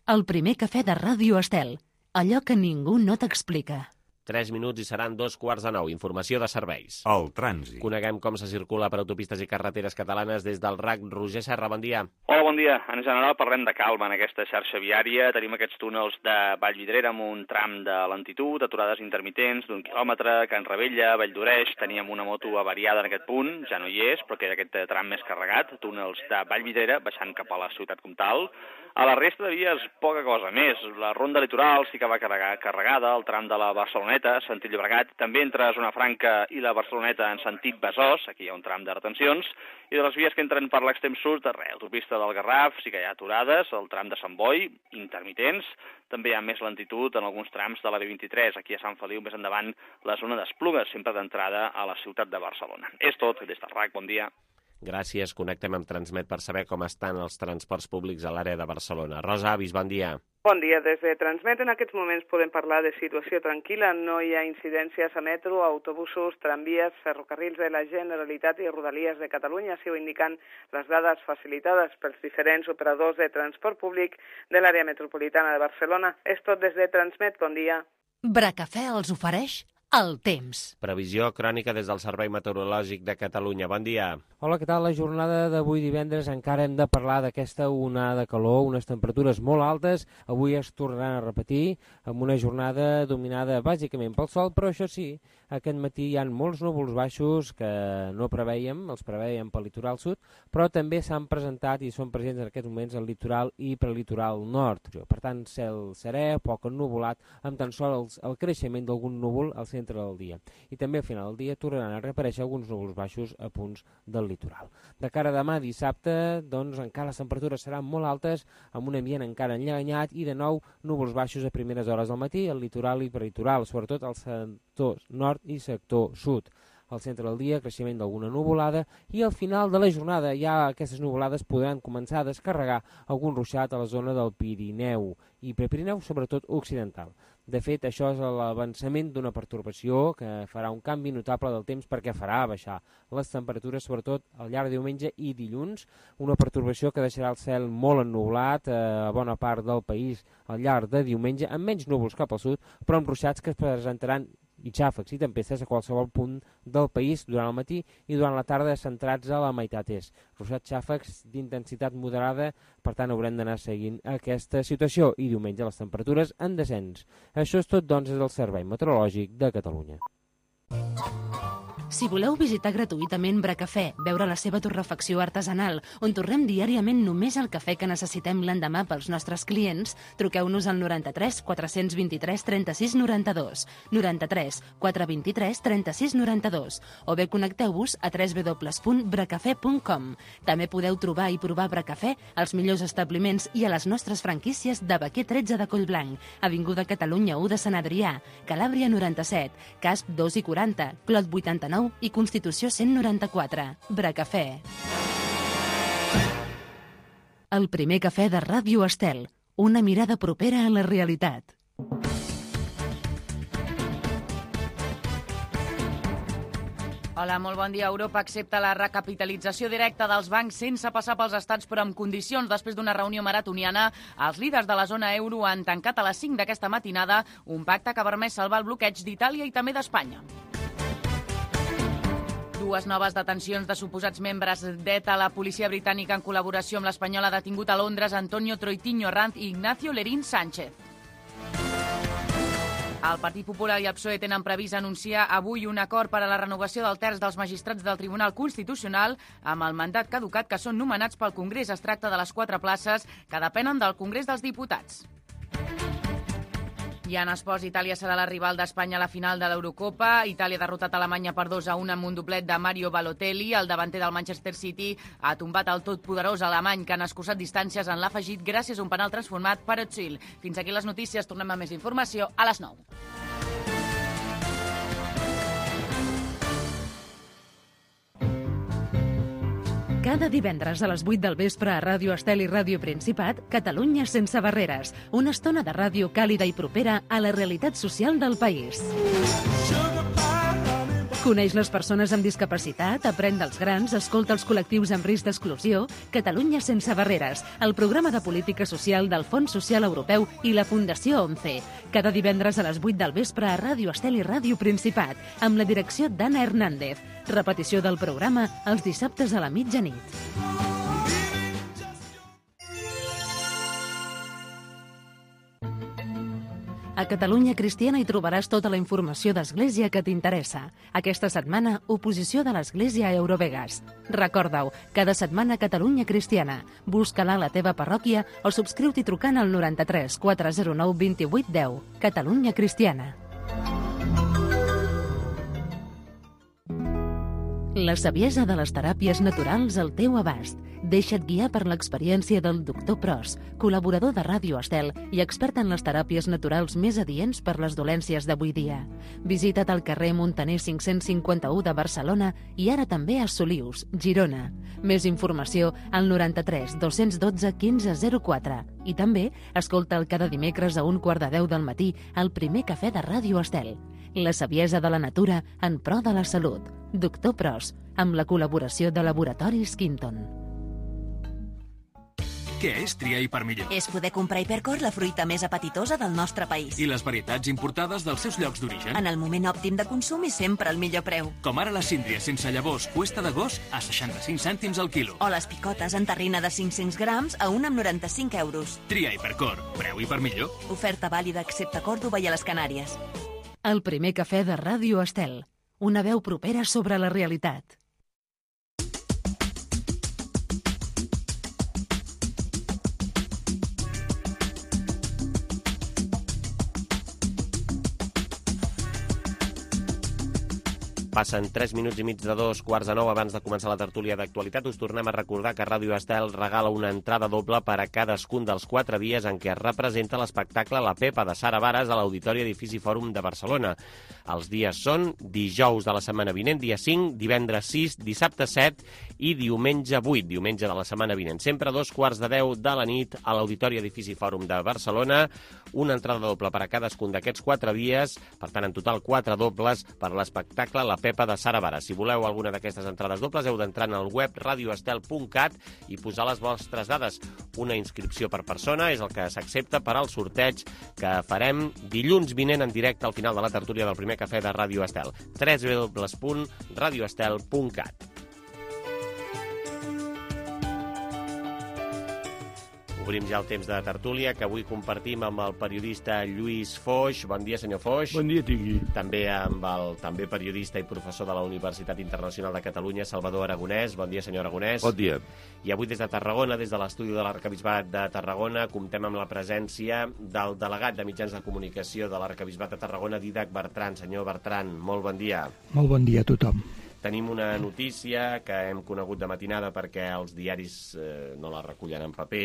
El primer cafè de Ràdio Estel. Allò que ningú no t'explica. Tres minuts i seran dos quarts de nou. Informació de serveis. El trànsit. Coneguem com se circula per autopistes i carreteres catalanes des del R A C. Roger Serra, bon dia. Hola, bon dia. En general parlem de calma en aquesta xarxa viària. Tenim aquests túnels de Vallvidrera amb un tram de lentitud, aturades intermitents d'un quilòmetre, Can Rebella, Valldoreix. Teníem una moto avariada en aquest punt, ja no hi és, però queda aquest tram més carregat. Túnels de Vallvidrera baixant cap a la ciutat comtal. A la resta de vies, poca cosa més. La ronda litoral sí que va carregada, el tram de la Barceloneta, sentit Llobregat, també entre Zona Franca i la Barceloneta en sentit Besòs, aquí hi ha un tram de retencions, i de les vies que entren per l'extrem sud, arrel, l'autopista del Garraf, sí que hi ha aturades, el tram de Sant Boi, intermitents, també hi ha més lentitud en alguns trams de la B vint-i-tres, aquí a Sant Feliu, més endavant, la zona d'Esplugues, sempre d'entrada a la ciutat de Barcelona. És tot, des del R A C, bon dia. Gràcies. Connectem amb Transmet per saber com estan els transports públics a l'àrea de Barcelona. Rosa Avis, bon dia. Bon dia. Des de Transmet en aquests moments podem parlar de situació tranquil·la. No hi ha incidències a metro, autobusos, tramvies, ferrocarrils de la Generalitat i Rodalies de Catalunya, així ho indiquen les dades facilitades pels diferents operadors de transport públic de l'àrea metropolitana de Barcelona. És tot des de Transmet. Bon dia. Bracafè els ofereix el temps. Previsió crònica des del Servei Meteorològic de Catalunya. Bon dia. Hola, què tal? La jornada d'avui divendres encara hem de parlar d'aquesta onada de calor, unes temperatures molt altes. Avui es tornaran a repetir amb una jornada dominada bàsicament pel sol, però això sí, aquest matí hi ha molts núvols baixos que no preveiem, els preveiem pel litoral sud, però també s'han presentat i són presents en aquests moments al litoral i prelitoral nord. Per tant, cel serè, poc ennuvolat, amb tan sols el creixement d'algun núvol al centre centre del dia. I també al final del dia tornaran a reaparèixer alguns núvols baixos a punts del litoral. De cara a demà dissabte, doncs encara les temperatures seran molt altes, amb un ambient encara enllanyat i de nou núvols baixos a primeres hores del matí, al litoral i peritoral, sobretot al sector nord i sector sud. Al centre del dia, creixement d'alguna nuvolada i al final de la jornada ja aquestes nuvolades podran començar a descarregar algun ruixat a la zona del Pirineu i Prepirineu, sobretot occidental. De fet, això és l'avançament d'una pertorbació que farà un canvi notable del temps perquè farà baixar les temperatures, sobretot al llarg de diumenge i dilluns, una pertorbació que deixarà el cel molt ennublat a bona part del país al llarg de diumenge, amb menys núvols cap al sud, però amb ruixats que es presentaran i xàfecs i tempestes a qualsevol punt del país durant el matí i durant la tarda centrats a la meitat est. Ruixats xàfecs d'intensitat moderada, per tant haurem d'anar seguint aquesta situació i diumenge les temperatures en descens. Això és tot, doncs, des del Servei Meteorològic de Catalunya. Si voleu visitar gratuïtament Bracafè, veure la seva torrefacció artesanal, on torrem diàriament només el cafè que necessitem l'endemà pels nostres clients, truqueu-nos al noranta-tres quatre vint-i-tres trenta-sis noranta-dos, noranta-tres quatre vint-i-tres trenta-sis noranta-dos, o bé connecteu-vos a w w w punt bracafè punt com. També podeu trobar i provar Bracafè als millors establiments i a les nostres franquícies de Baquer tretze de Collblanc, Avinguda Catalunya u de Sant Adrià, Calàbria noranta-set, Casp dos i quaranta, Clot vuitanta-nou i Constitució cent noranta-quatre. Bracafè. El primer cafè de Ràdio Estel. Una mirada propera a la realitat. Hola, molt bon dia. Europa accepta la recapitalització directa dels bancs sense passar pels estats, però amb condicions. Després d'una reunió maratoniana, els líders de la zona euro han tancat a les cinc d'aquesta matinada un pacte que ha permès salvar el bloqueig d'Itàlia i també d'Espanya. Dues noves detencions de suposats membres d'ETA. La policia britànica, en col·laboració amb l'espanyola, ha detingut a Londres Antonio Troitiño Ranz i Ignacio Lerín Sánchez. El Partit Popular i el P S O E tenen previst anunciar avui un acord per a la renovació del terç dels magistrats del Tribunal Constitucional amb el mandat caducat, que són nomenats pel Congrés. Es tracta de les quatre places que depenen del Congrés dels Diputats. I en esports, Itàlia serà la rival d'Espanya a la final de l'Eurocopa. Itàlia ha derrotat Alemanya per dos a un amb un doblet de Mario Balotelli. El davanter del Manchester City ha tombat el totpoderós alemany, que han escurçat distàncies en l'afegit gràcies a un penal transformat per Özil. Fins aquí les notícies. Tornem amb més informació a les nou. Cada divendres a les vuit del vespre a Ràdio Estel i Ràdio Principat, Catalunya sense barreres. Una estona de ràdio càlida i propera a la realitat social del país. Coneix les persones amb discapacitat, aprèn dels grans, escolta els col·lectius amb risc d'exclusió. Catalunya sense barreres, el programa de política social del Fons Social Europeu i la Fundació ONCE. Cada divendres a les vuit del vespre a Ràdio Estel i Ràdio Principat, amb la direcció d'Anna Hernández. Repetició del programa els dissabtes a la mitjanit. A Catalunya Cristiana hi trobaràs tota la informació d'Església que t'interessa. Aquesta setmana, oposició de l'Església a Eurovegas. Recorda-ho, cada setmana Catalunya Cristiana. Busca-la a la teva parròquia o subscriu-t'hi trucant al noranta-tres quatre zero nou vint vuit deu. Catalunya Cristiana. La saviesa de les teràpies naturals al teu abast. Deixa't guiar per l'experiència del doctor Pros, col·laborador de Ràdio Estel i expert en les teràpies naturals més adients per les dolències d'avui dia. Visita't al carrer Montaner cinc-cents cinquanta-u de Barcelona i ara també a Solius, Girona. Més informació al noranta-tres dos-cents dotze quinze zero quatre. I també escolta'l cada dimecres a un quart de deu del matí al primer cafè de Ràdio Estel. La saviesa de la natura en pro de la salut. Doctor Pros, amb la col·laboració de Laboratoris Quinton. Què és triar Hipermillor? És poder comprar Hipercor, la fruita més apetitosa del nostre país. I les varietats importades dels seus llocs d'origen. En el moment òptim de consum i sempre al millor preu. Com ara la síndria sense llavors cuesta de gos a seixanta-cinc cèntims al quilo. O les picotes en terrina de cinc-cents grams a un amb noranta-cinc euros. Tria Hipercor, preu Hipermillor. Oferta vàlida excepte a Còrdova i a les Canàries. El primer cafè de Ràdio Estel. Una veu propera sobre la realitat. Passen tres minuts i mig de dos quarts de nou abans de començar la tertúlia d'actualitat. Us tornem a recordar que Ràdio Estel regala una entrada doble per a cadascun dels quatre dies en què es representa l'espectacle La Pepa de Sara Varas a l'Auditori Edifici Fòrum de Barcelona. Els dies són dijous de la setmana vinent, dia cinc, divendres sis, dissabte set i diumenge vuit, diumenge de la setmana vinent. Sempre a dos quarts de deu de la nit a l'Auditori Edifici Fòrum de Barcelona. Una entrada doble per a cadascun d'aquests quatre dies, per tant, en total quatre dobles per a l'espectacle La Pepa de Sara Varas. Si voleu alguna d'aquestes entrades dobles, heu d'entrar en el web radioestel punt cat i posar les vostres dades. Una inscripció per persona és el que s'accepta per al sorteig que farem dilluns vinent en directe al final de la tertúlia del primer cafè de Ràdio Estel. w w w punt radioestel punt cat. Obrim ja el temps de tertúlia, que avui compartim amb el periodista Lluís Foix. Bon dia, senyor Foix. Bon dia, tingui. També amb el també periodista i professor de la Universitat Internacional de Catalunya, Salvador Aragonès. Bon dia, senyor Aragonès. Bon dia. I avui des de Tarragona, des de l'estudi de l'Arquebisbat de Tarragona, comptem amb la presència del delegat de mitjans de comunicació de l'Arquebisbat de Tarragona, Dídac Bertran. Senyor Bertran, molt bon dia. Molt bon dia a tothom. Tenim una notícia que hem conegut de matinada perquè els diaris eh, no la recullen en paper.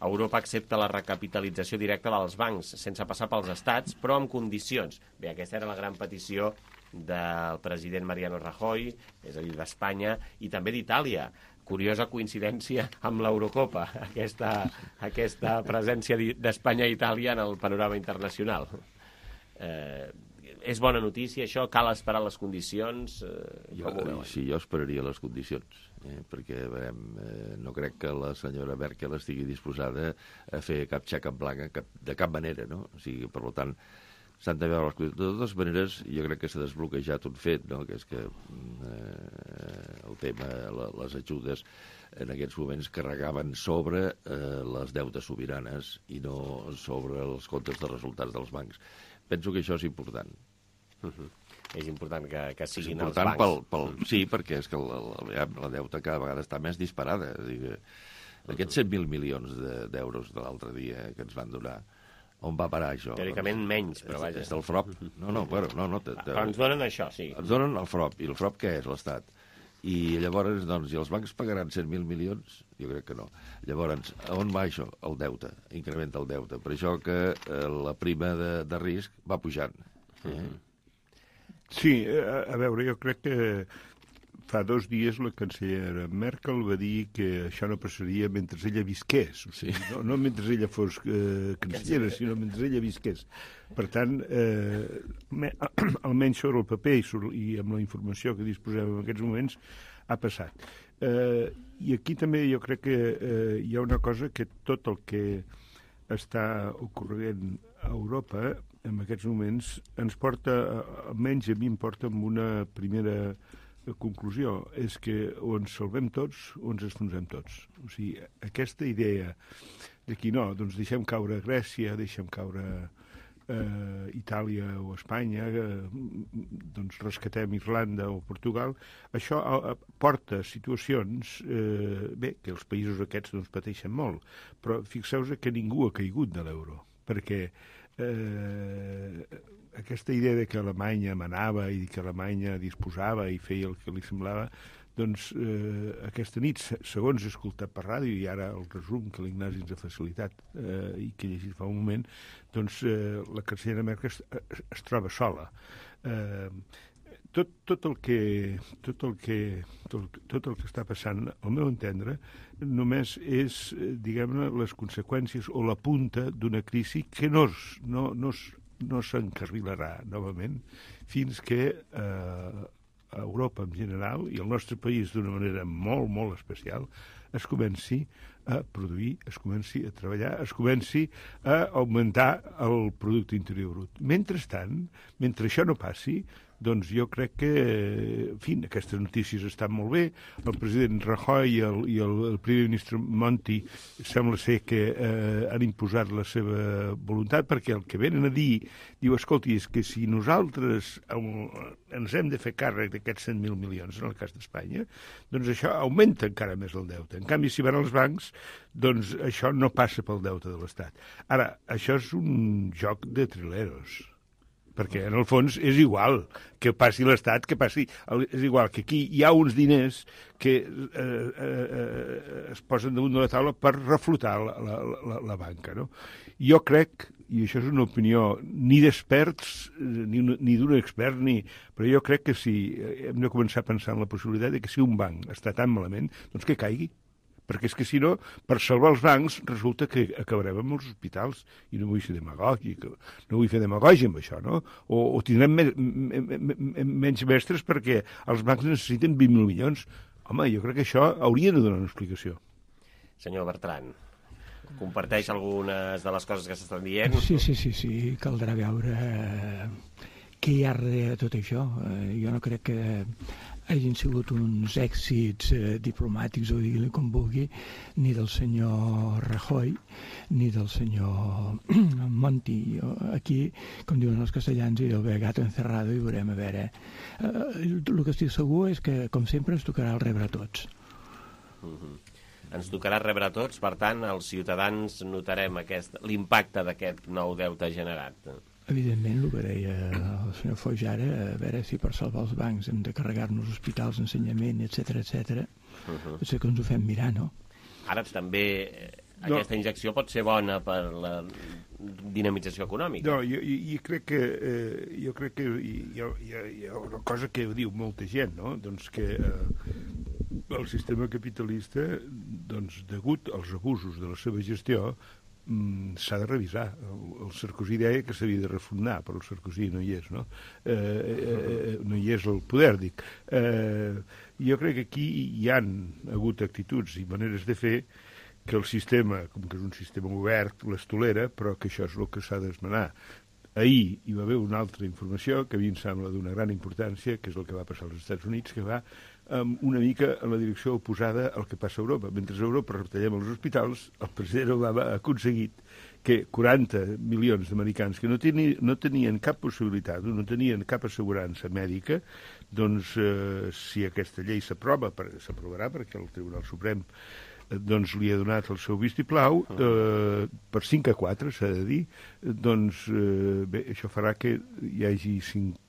Europa accepta la recapitalització directa dels bancs sense passar pels estats, però amb condicions. Bé, aquesta era la gran petició del president Mariano Rajoy, és a dir, d'Espanya, i també d'Itàlia. Curiosa coincidència amb l'Eurocopa, aquesta, aquesta presència d'Espanya i Itàlia en el panorama internacional. Eh, és bona notícia, això? Cal esperar les condicions? Eh, jo, sí, jo esperaria les condicions, eh, perquè veurem, eh, no crec que la senyora Merkel estigui disposada a fer cap xec en blanc cap, de cap manera, no? O sigui, per tant, s'han de veure les condicions. De totes maneres, jo crec que s'ha desbloquejat un fet, no?, que és que eh, el tema, la, les ajudes en aquests moments carregaven sobre eh, les deutes sobiranes i no sobre els comptes de resultats dels bancs. Penso que això és important. Uh-huh. És important que, que siguin és important els bancs. Pel, pel, sí, perquè és que la, la, la deuta cada vegada està més disparada. És dir, aquests cent mil milions d'euros de l'altre dia que ens van donar, on va parar això? Teòricament doncs, menys, però vaja. És del F R O P. No, no, bueno, no, no, te, te... Però ens donen això, sí. Ens donen el F R O P. I el F R O P què és, l'Estat? I llavors, doncs, i els bancs pagaran cent mil milions? Jo crec que no. Llavors, on va això? El deute. Incrementa el deute. Per això que eh, la prima de, de risc va pujant. Eh? Sí, a, a veure, jo crec que fa dos dies la cancellera Merkel va dir que això no passaria mentre ella visqués. O sigui, no, no mentre ella fos eh, cancellera, sinó mentre ella visqués. Per tant, eh, me, almenys sobre el paper i, sobre, i amb la informació que disposem en aquests moments, ha passat. Eh, I aquí també jo crec que eh, hi ha una cosa que tot el que està ocorrent a Europa en aquests moments ens porta, almenys a mi em porta amb una primera conclusió, és que o ens salvem tots o ens enfonsem tots. O sigui, aquesta idea de que no, doncs deixem caure Grècia, deixem caure eh, Itàlia o Espanya, eh, doncs rescatem Irlanda o Portugal, això eh, porta a situacions, eh, bé, que els països aquests doncs pateixen molt, però fixeu-vos que ningú ha caigut de l'euro, perquè eh, aquesta idea de que Alemanya manava i que Alemanya disposava i feia el que li semblava, doncs eh, aquesta nit, segons he escoltat per ràdio, i ara el resum que l'Ignasi ens ha facilitat eh, i que he llegit fa un moment, doncs eh, la cancellera Merkel es, es, es troba sola. Eh, tot, tot el que tot el que tot, tot el que està passant, al meu entendre, només és, diguem-ne, les conseqüències o la punta d'una crisi que no es, no, no es, no s'encarrilarà novament fins que eh, a Europa en general i el nostre país d'una manera molt, molt especial es comenci a produir, es comenci a treballar, es comenci a augmentar el producte interior brut. Mentrestant, mentre això no passi, doncs jo crec que, en fi, aquestes notícies estan molt bé. El president Rajoy i el, i el, el primer ministre Monti sembla ser que eh, han imposat la seva voluntat, perquè el que venen a dir, diu, escolti, és que si nosaltres ens hem de fer càrrec d'aquests cent mil milions, en el cas d'Espanya, doncs això augmenta encara més el deute. En canvi, si van als bancs, doncs això no passa pel deute de l'Estat. Ara, això és un joc de trileros. perquè en el fons és igual que passi l'Estat, que passi... És igual que aquí hi ha uns diners que eh, eh, es posen damunt de la taula per reflotar la, la, la, la banca, no? Jo crec, i això és una opinió ni d'experts, ni, ni d'un expert, ni... però jo crec que si hem de començar a pensar en la possibilitat de que si un banc està tan malament, doncs que caigui. Perquè és que si no, per salvar els bancs, resulta que acabarem amb els hospitals, i no vull ser demagògic, no vull fer demagògia amb això, no? O, o tindrem me, me, me, me, menys mestres perquè els bancs necessiten vint mil milions. Home, jo crec que això hauria de donar una explicació. Senyor Bertran, comparteix algunes de les coses que s'estan dient? Sí, sí, sí, sí, caldrà veure eh, què hi ha darrere de tot això. Eh, jo no crec que hagin sigut uns èxits eh, diplomàtics, o digui-li com vulgui, ni del senyor Rajoy, ni del senyor Monti. Aquí, com diuen els castellans, hi ha el gato encerrado i veurem a veure. Eh, el que estic segur és que, com sempre, ens tocarà el rebre a tots. Uh-huh. Ens tocarà rebre a tots, per tant, els ciutadans notarem aquest, l'impacte d'aquest nou deute generat. Evidentment, el que deia el senyor Foix ara, a veure si per salvar els bancs hem de carregar-nos hospitals, ensenyament, etcètera, etcètera. Uh-huh. Potser que ens ho fem mirar, no? Ara també no. Aquesta injecció pot ser bona per la dinamització econòmica. No, jo, jo crec que, eh, jo crec que hi, hi, ha, hi ha una cosa que diu molta gent, no? Doncs que eh, el sistema capitalista, doncs, degut als abusos de la seva gestió, s'ha de revisar. El Sarkozy deia que s'havia de refundar, però el Sarkozy no hi és, no? Eh, eh, no hi és el poder, dic. Eh, jo crec que aquí hi han hagut actituds i maneres de fer que el sistema, com que és un sistema obert, les tolera, però que això és el que s'ha d'esmenar. Ahir hi va haver una altra informació que a mi em sembla d'una gran importància, que és el que va passar als Estats Units, que va um, una mica en la direcció oposada al que passa a Europa. Mentre a Europa retallem els hospitals, el president Obama ha aconseguit que quaranta milions d'americans que no, teni, no tenien cap possibilitat, no tenien cap assegurança mèdica, doncs eh, si aquesta llei s'aprova, s'aprovarà perquè el Tribunal Suprem doncs li ha donat el seu vistiplau, eh, per cinc a quatre, s'ha de dir, doncs eh, bé, això farà que hi hagi cinc,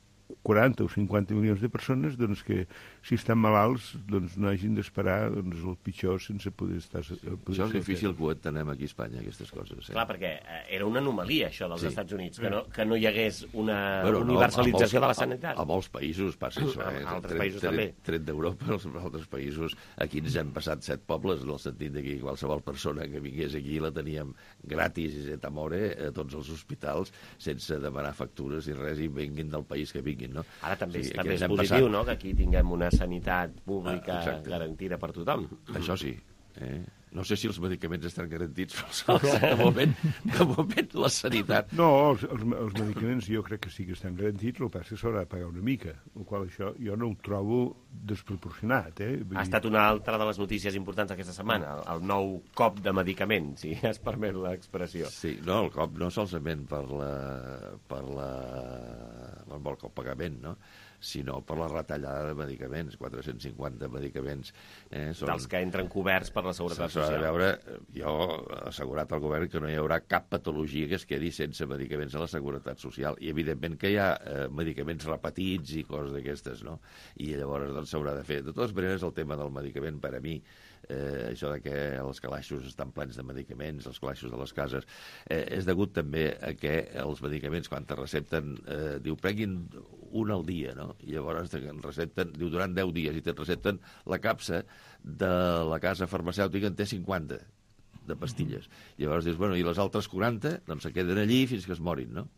quaranta o cinquanta milions de persones doncs, que, si estan malalts, doncs, no hagin d'esperar doncs, el pitjor sense poder estar... Poder això és difícil que ho entenem aquí a Espanya, aquestes coses. Eh? Clar, perquè era una anomalia, això dels sí. Estats Units, que no, que no hi hagués una bueno, universalització no, de la sanitat. A, a molts països passa això. Eh? A altres tret, països tret, també. Tret d'Europa, als altres països, aquí ens hem passat set pobles, en el sentit que qualsevol persona que vingués aquí la teníem gratis i et amore a tots els hospitals, sense demanar factures i res, i vinguin del país que vinguin, no? Ara també, sí, també és positiu, no?, que aquí tinguem una sanitat pública ah, garantida per tothom. Això sí. Eh? No sé si els medicaments estan garantits, però de moment, de moment la sanitat... No, els, els, els medicaments jo crec que sí que estan garantits, el que passa és que s'haurà de pagar una mica, el qual això jo no ho trobo desproporcionat. Eh? Vull ha dir... estat una altra de les notícies importants aquesta setmana, el, el nou cop de medicaments, si es permet l'expressió. Sí, no, el cop no solament per la... per la... per el pagament, no?, sinó per la retallada de medicaments, quatre-cents cinquanta medicaments. Eh, són... Dels que entren coberts per la Seguretat Social. A veure, jo he assegurat al govern que no hi haurà cap patologia que es quedi sense medicaments a la Seguretat Social. I evidentment que hi ha eh, medicaments repetits i coses d'aquestes, no? I llavors doncs s'haurà de fer. De totes maneres, el tema del medicament, per a mi, eh, això de que els calaixos estan plens de medicaments, els calaixos de les cases, eh, és degut també a que els medicaments, quan te recepten, eh, diu, prenguin un al dia, no? I llavors te recepten, diu, durant deu dies, i te recepten la capsa de la casa farmacèutica en té cinquanta de pastilles. I llavors dius, bueno, i les altres quaranta, doncs se queden allí fins que es morin, no?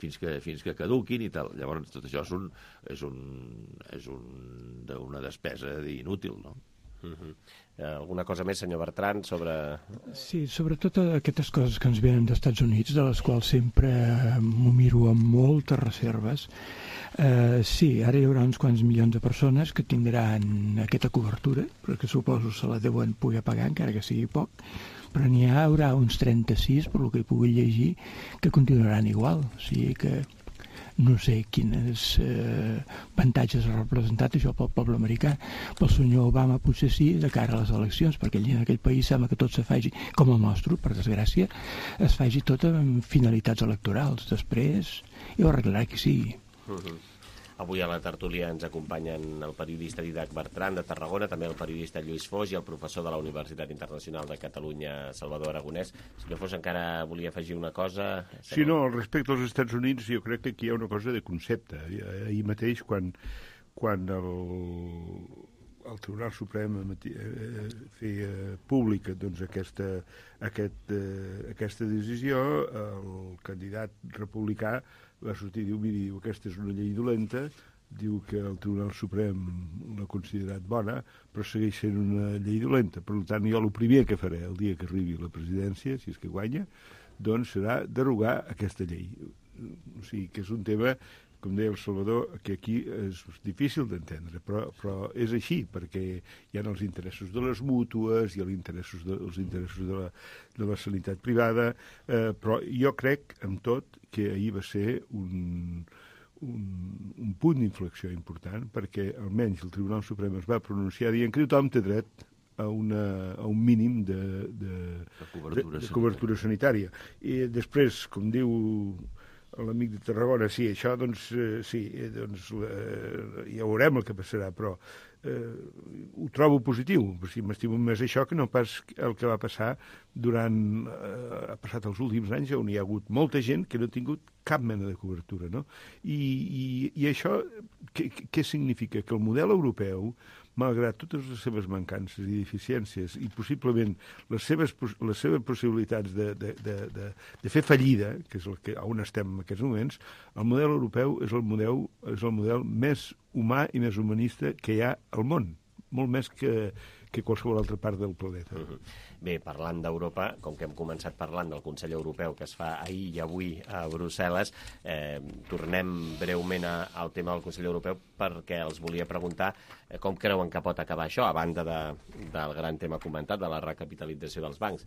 Fins que, fins que caduquin i tal. Llavors tot això és, un, és, un, és un, una despesa inútil, no? Uh-huh. Alguna cosa més, senyor Bertran, sobre... Sí, sobretot aquestes coses que ens venen dels Estats Units, de les quals sempre m'ho miro amb moltes reserves. Eh, sí, ara hi haurà uns quants milions de persones que tindran aquesta cobertura, perquè suposo se la deuen poder pagar, encara que sigui poc, però n'hi haurà uns trenta-sis, per lo que hi pugui llegir, que continuaran igual. O sigui que no sé quines eh, avantatges ha representat això pel poble americà. Pel senyor Obama potser sí, de cara a les eleccions, perquè allà en aquell país sembla que tot se faci, com el nostre, per desgràcia, es faci tot amb finalitats electorals. Després ja ho arreglarà qui sigui. Uh-huh. Avui a la tertúlia ens acompanyen el periodista Didac Bertran de Tarragona, també el periodista Lluís Foix i el professor de la Universitat Internacional de Catalunya, Salvador Aragonès. Senyor Foix, encara volia afegir una cosa? Sí, no, respecte als Estats Units jo crec que aquí hi ha una cosa de concepte. Ahir mateix, quan, quan el, el Tribunal Suprem feia pública doncs, aquesta, aquest, aquesta decisió, el candidat republicà va sortir i diu, miri, diu, aquesta és una llei dolenta, diu que el Tribunal Suprem l'ha considerat bona, però segueix sent una llei dolenta. Per tant, jo el primer que faré el dia que arribi a la presidència, si és que guanya, doncs serà derogar aquesta llei. O sigui, que és un tema, com deia el Salvador, que aquí és difícil d'entendre, però, però és així, perquè hi ha els interessos de les mútues, hi ha els interessos de, els interessos de la, de la sanitat privada, eh, però jo crec, amb tot, que ahir va ser un, un, un punt d'inflexió important, perquè almenys el Tribunal Suprem es va pronunciar dient que tothom té dret a, una, a un mínim de, de, de, cobertura, de, de cobertura sanitària. I després, com diu l'amic de Tarragona, sí, això, doncs, eh, sí, eh, doncs, eh, ja veurem el que passarà, però eh, ho trobo positiu. O sigui, m'estimo més això que no pas el que va passar durant, eh, ha passat els últims anys, on hi ha hagut molta gent que no ha tingut cap mena de cobertura, no? I, i, i això, què, què significa? Que el model europeu, malgrat totes les seves mancances i deficiències i possiblement les seves, les seves possibilitats de, de, de, de, de fer fallida, que és el que, on estem en aquests moments, el model europeu és el model, és el model més humà i més humanista que hi ha al món, molt més que, que qualsevol altra part del planeta. Uh-huh. Bé, parlant d'Europa, com que hem començat parlant del Consell Europeu que es fa ahir i avui a Brussel·les, eh, tornem breument a, al tema del Consell Europeu perquè els volia preguntar eh, com creuen que pot acabar això, a banda de, del gran tema comentat, de la recapitalització dels bancs.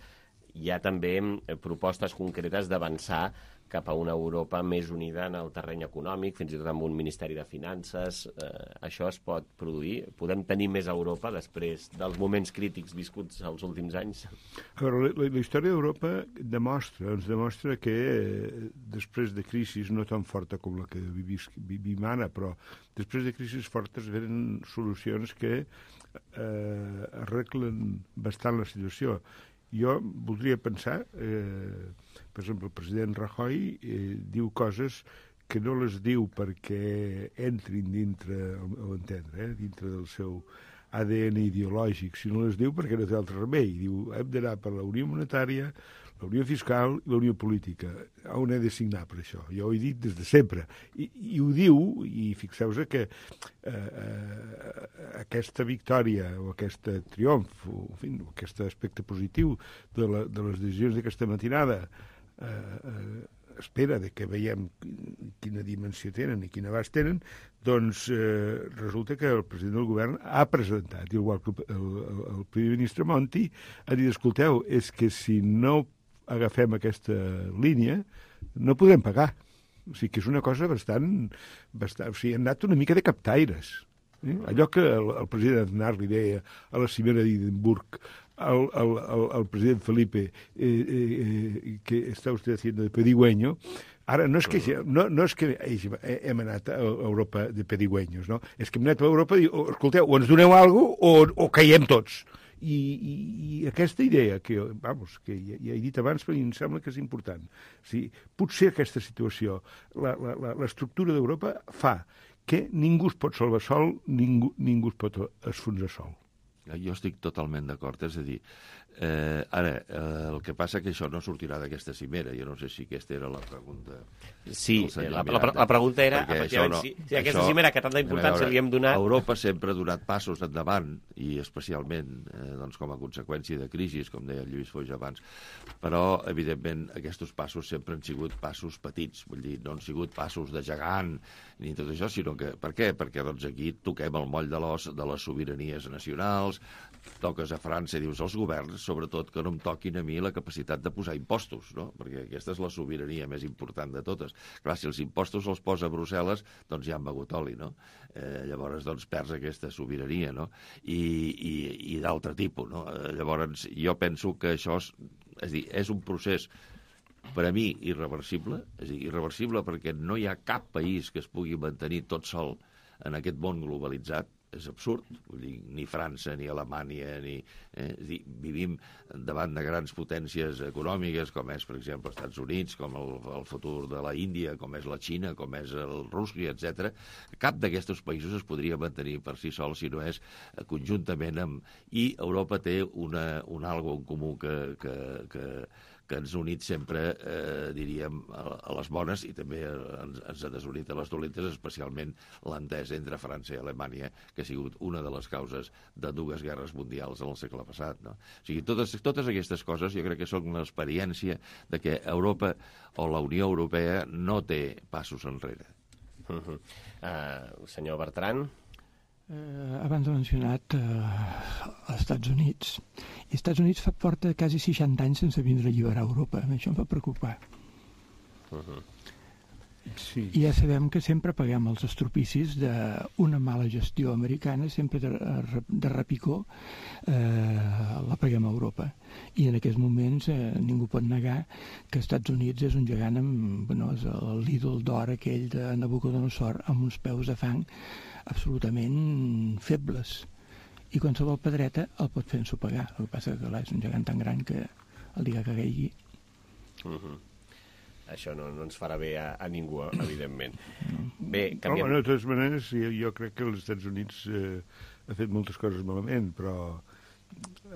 Hi ha també eh, propostes concretes d'avançar cap a una Europa més unida en el terreny econòmic, fins i tot amb un Ministeri de Finances. Eh, això es pot produir? Podem tenir més Europa després dels moments crítics viscuts els últims anys? A veure, la, la història d'Europa demostra, ens demostra que eh, després de crisis no tan forta com la que vivis, vivim ara, però després de crisis fortes venen solucions que eh, arreglen bastant la situació. Jo voldria pensar, eh, per exemple, el president Rajoy eh, diu coses que no les diu perquè entrin dintre, o entendre, eh, dintre del seu A D N ideològic, sinó les diu perquè no té altre remei. Diu, hem d'anar per la Unió Monetària, la Unió Fiscal i la Unió Política. On he de signar per això? Jo ho he dit des de sempre. I, i ho diu, i fixeu-vos que eh, eh, aquesta victòria o aquest triomf, o en fi, aquest aspecte positiu de, la, de les decisions d'aquesta matinada eh, eh, espera de que veiem quina dimensió tenen i quin abast tenen, doncs eh, resulta que el president del govern ha presentat, igual que el, el, el primer ministre Monti, ha dit, escolteu, és que si no agafem aquesta línia, no podrem pagar. O sigui que és una cosa bastant... bastant o sigui, han anat una mica de captaires. Eh? Allò que el, el president Aznar li deia a la cimera d'Edimburg, el, el, el, el president Felipe, eh, eh, que està usted haciendo de pedigüeño, ara no és que, no, no és que hem anat a Europa de pedigüeños, no? És que hem anat a Europa i diu, oh, escolteu, o ens doneu alguna cosa o, o caiem tots. I, i, i aquesta idea, que, vamos, que ja, ja he dit abans, però em sembla que és important. O sigui, potser aquesta situació, l'estructura d'Europa fa que ningú es pot salvar sol, ningú, ningú es pot esfonsar sol. Jo estic totalment d'acord, és a dir, eh, ara, eh, el que passa que això no sortirà d'aquesta cimera, jo no sé si aquesta era la pregunta. Sí, la, la, la pregunta era, efectivament, no, si, si aquesta això, cimera que tanta importància li hem donat... Europa sempre ha donat passos endavant, i especialment eh, doncs, com a conseqüència de crisis, com deia el Lluís Foix abans, però, evidentment, aquests passos sempre han sigut passos petits, vull dir, no han sigut passos de gegant, ni tot això, sinó que... Per què? Perquè doncs, aquí toquem el moll de l'os de les sobiranies nacionals, toques a França i dius als governs, sobretot que no em toquin a mi la la capacitat de posar impostos, no? Perquè aquesta és la sobirania més important de totes. Clar, si els impostos els posa Brussel·les, doncs ja han begut oli, no? Eh, llavors, doncs, perds aquesta sobirania, no? I, i, i d'altre tipus, no? Eh, llavors, jo penso que això és, és, dir, és un procés per a mi irreversible, és a dir, irreversible perquè no hi ha cap país que es pugui mantenir tot sol en aquest món globalitzat. És absurd, vull dir, ni França, ni Alemanya, ni... Eh, és dir, vivim davant de grans potències econòmiques, com és, per exemple, els Estats Units, com el, el futur de la Índia, com és la Xina, com és el Rússia, etcètera. Cap d'aquests països es podria mantenir per si sol si no és conjuntament amb... I Europa té una, un algo en comú que, que, que, que ens ha unit sempre, eh, diríem, a, a les bones i també ens, ens ha desunit a les dolentes, especialment l'entesa entre França i Alemanya, que ha sigut una de les causes de dues guerres mundials en el segle passat. No? O sigui, totes, totes aquestes coses jo crec que són l'experiència de que Europa o la Unió Europea no té passos enrere. Uh -huh. uh, senyor Bertran? Eh, abans he mencionat eh, els Estats Units. I els Estats Units fa porta quasi seixanta anys sense vindre a alliberar Europa. Això em fa preocupar. Uh -huh. Sí. I ja sabem que sempre paguem els estropicis d'una mala gestió americana, sempre de, de repicó, eh, la paguem a Europa. I en aquests moments eh, ningú pot negar que els Estats Units és un gegant amb, bueno, és l'ídol d'or aquell de Nabucodonosor amb uns peus de fang absolutament febles. I qualsevol pedreta el pot fer ensopegar. El que passa que clar, és un gegant tan gran que el dia que caigui... Uh -huh. Això no, no ens farà bé a, a ningú, evidentment. Bé, canviem... No, de totes maneres, jo, jo crec que els Estats Units eh, ha fet moltes coses malament, però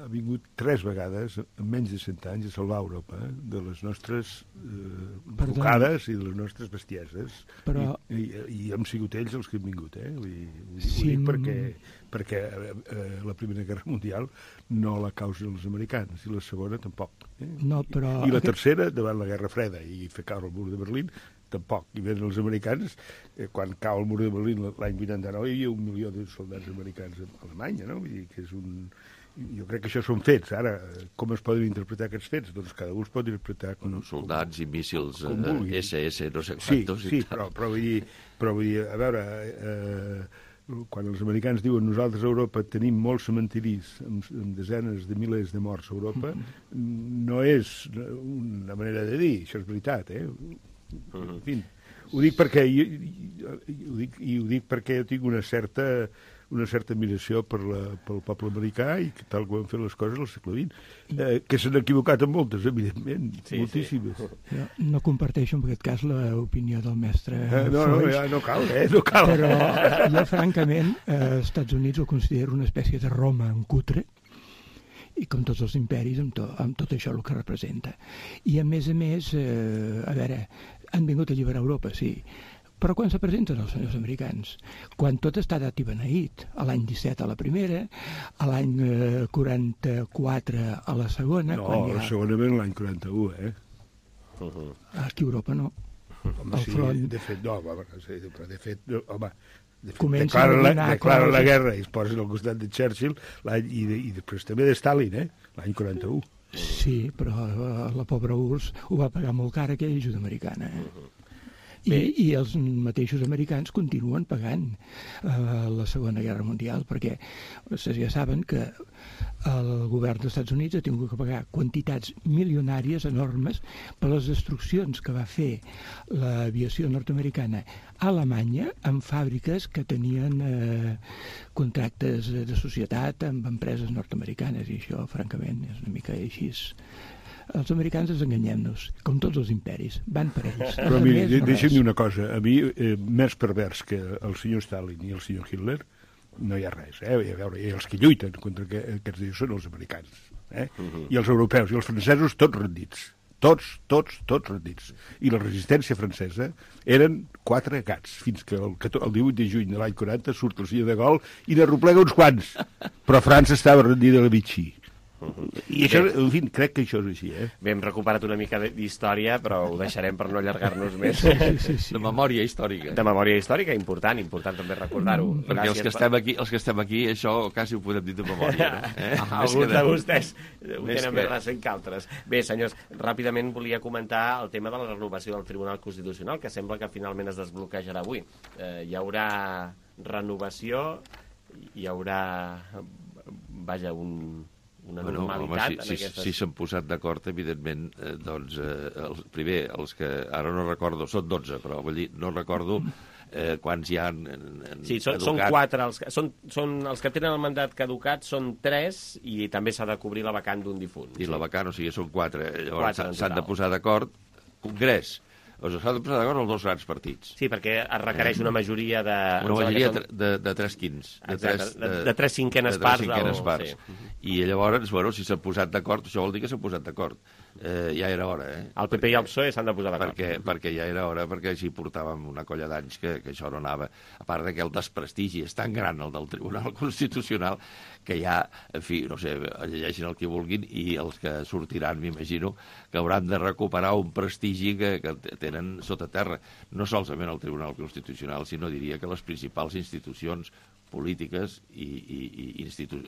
ha vingut tres vegades, en menys de cent anys, a salvar Europa eh, de les nostres eh, bocades i de les nostres bestieses. Però... I, i, I hem sigut ells els que han vingut, eh? Vull dir, sí, ho dic perquè, perquè eh, la Primera Guerra Mundial no la causen els americans, i la segona tampoc. Eh? No, però... I la tercera, davant la Guerra Freda i fer caure el mur de Berlín, tampoc. I venen els americans, eh, quan cau el mur de Berlín l'any vuitanta-nou, hi havia un milió de soldats americans a Alemanya, no? Vull dir que és un... Jo crec que això són fets. Ara, com es poden interpretar aquests fets? Doncs cada un es pot interpretar com... Bueno, soldats i míssils eh, esse esse, no sé quantos. Sí, sí, però, però, vull dir, però vull dir, a veure, eh, quan els americans diuen nosaltres a Europa tenim molts cementiris amb, amb desenes de milers de morts a Europa, mm-hmm. no és una manera de dir, això és veritat, eh? Mm-hmm. En fi, ho dic perquè jo, jo, ho dic, i ho dic perquè jo tinc una certa una certa admiració per la, pel poble americà i que tal com han fet les coses al segle vint. Eh, que s'han equivocat en moltes, evidentment, sí, moltíssimes. Sí. Jo no comparteixo en aquest cas l'opinió del mestre eh, No, no, ja no cal, eh? No cal. Però jo, francament, eh, als Estats Units ho considero una espècie de Roma en cutre, i com tots els imperis, amb, to, amb tot això el que representa. I, a més a més, eh, a veure, han vingut a alliberar Europa, sí, però quan se presenten els senyors americans? Quan tot està dat i beneït, a l'any disset a la primera, a l'any eh, quaranta-quatre a la segona... No, quan ja... la segona ve l'any quaranta-u, eh? Uh -huh. Aquí a Europa no. Home, sí, front... de fet, no, home, però de fet, no, home, de fet declaren la, declaren la guerra i es posen al costat de Churchill i, de, i després també de Stalin, eh? L'any quaranta-u. Sí, però eh, la pobra U R S S ho va pagar molt car aquella ajuda americana, eh? Uh -huh. I, i els mateixos americans continuen pagant eh, la Segona Guerra Mundial, perquè vostès ja saben que el govern dels Estats Units ha tingut que pagar quantitats milionàries enormes per les destruccions que va fer l'aviació nord-americana a Alemanya amb fàbriques que tenien eh, contractes de societat amb empreses nord-americanes, i això francament és una mica així. Els americans ens enganyem-nos, com tots els imperis, van per ells. Però mira, de, deixa'm dir una cosa, a mi, eh, més pervers que el senyor Stalin i el senyor Hitler, no hi ha res, eh? I, a veure, i els que lluiten contra que, aquests dies són els americans, eh? Uh-huh. I els europeus, i els francesos, tots rendits. Tots, tots, tots rendits. I la resistència francesa eren quatre gats, fins que el, el divuit de juny de l'any quaranta surt el senyor de Gaulle i n'arroplega uns quants. Però França estava rendida a la Vichy. I això, en fi, crec que això és així, eh? Bé, hem recuperat una mica d'història, però ho deixarem per no allargar-nos més. Sí, sí, sí. De memòria històrica. De memòria històrica, important, important també recordar-ho. Perquè els que, estem aquí, els que estem aquí, això quasi ho podem dir de memòria, no? Eh? Alguns de vostès ho tenen més recent que altres. Bé, senyors, ràpidament volia comentar el tema de la renovació del Tribunal Constitucional, que sembla que finalment es desbloquejarà avui. Eh, hi haurà renovació, hi haurà, vaja, un... una bueno, normalitat home, si, en aquestes... si, si s'han posat d'acord, evidentment, eh, doncs, eh, els, primer, els que ara no recordo, són dotze, però vull dir, no recordo eh, quants hi ha en, en Sí, són, són quatre, els, són, són, els que tenen el mandat caducat són tres i també s'ha de cobrir la vacant d'un difunt. I sí. la vacant, o sigui, són quatre, llavors quatre s'han de posar d'acord, Congrés, o sigui, s'han de posar d'acord els dos grans partits. Sí, perquè es requereix una majoria de... Una majoria de, de, de tres quins. De tres, de, de, de tres cinquenes de tres parts. Cinquenes o... parts. Sí. I llavors, bueno, si s'han posat d'acord, això vol dir que s'han posat d'acord. Eh, ja era hora, eh? El P P i el P S O E s'han de posar d'acord. Perquè, perquè ja era hora, perquè així portàvem una colla d'anys que, que això no anava. A part que el desprestigi és tan gran, el del Tribunal Constitucional, que ja, en fi, no sé, llegeixin el que vulguin i els que sortiran, m'imagino, que hauran de recuperar un prestigi que, que tenen sota terra. No solament el Tribunal Constitucional, sinó diria que les principals institucions polítiques i, i, i, institu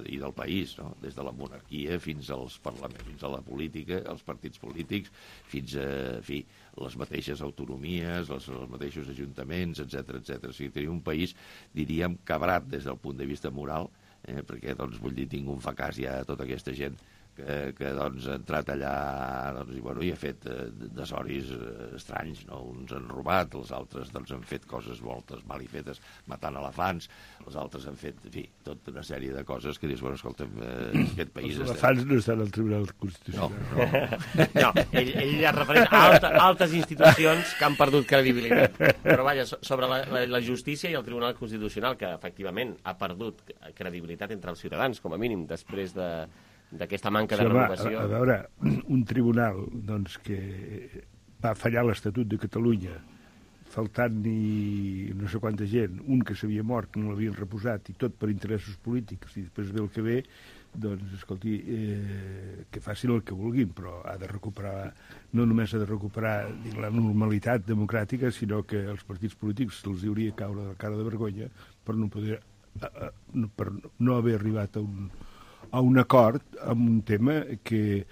i del país, no? Des de la monarquia fins als parlaments, fins a la política, els partits polítics, fins a, en fi, les mateixes autonomies, els, els mateixos ajuntaments, etcètera, etcètera. O sigui, tenim un país, diríem, cabrat des del punt de vista moral, eh, perquè, doncs, vull dir, tinc un fracàs ja a tota aquesta gent que, que doncs, ha entrat allà, doncs, i, bueno, i ha fet eh, desoris eh, estranys, no? Uns han robat, els altres doncs, han fet coses moltes mal i fetes, matant elefants, els altres han fet, en fi, tota una sèrie de coses que dius, bueno, escolta'm, eh, aquest país... Els elefants no estan al Tribunal Constitucional. No, no. no ell, ell es refereix a alta, altes institucions que han perdut credibilitat. Però, vaja, sobre la, la, la justícia i el Tribunal Constitucional, que, efectivament, ha perdut credibilitat entre els ciutadans, com a mínim, després de... d'aquesta manca de renovació. A, a veure, un tribunal doncs, que va fallar l'Estatut de Catalunya, faltant-hi no sé quanta gent, un que s'havia mort, que no l'havien reposat, i tot per interessos polítics, i després ve el que ve, doncs, escolti, eh, que facin el que vulguin, però ha de recuperar, no només ha de recuperar dic, la normalitat democràtica, sinó que els partits polítics se'ls hauria caure de cara de vergonya per no poder, eh, per no haver arribat a un a un acord amb un tema que,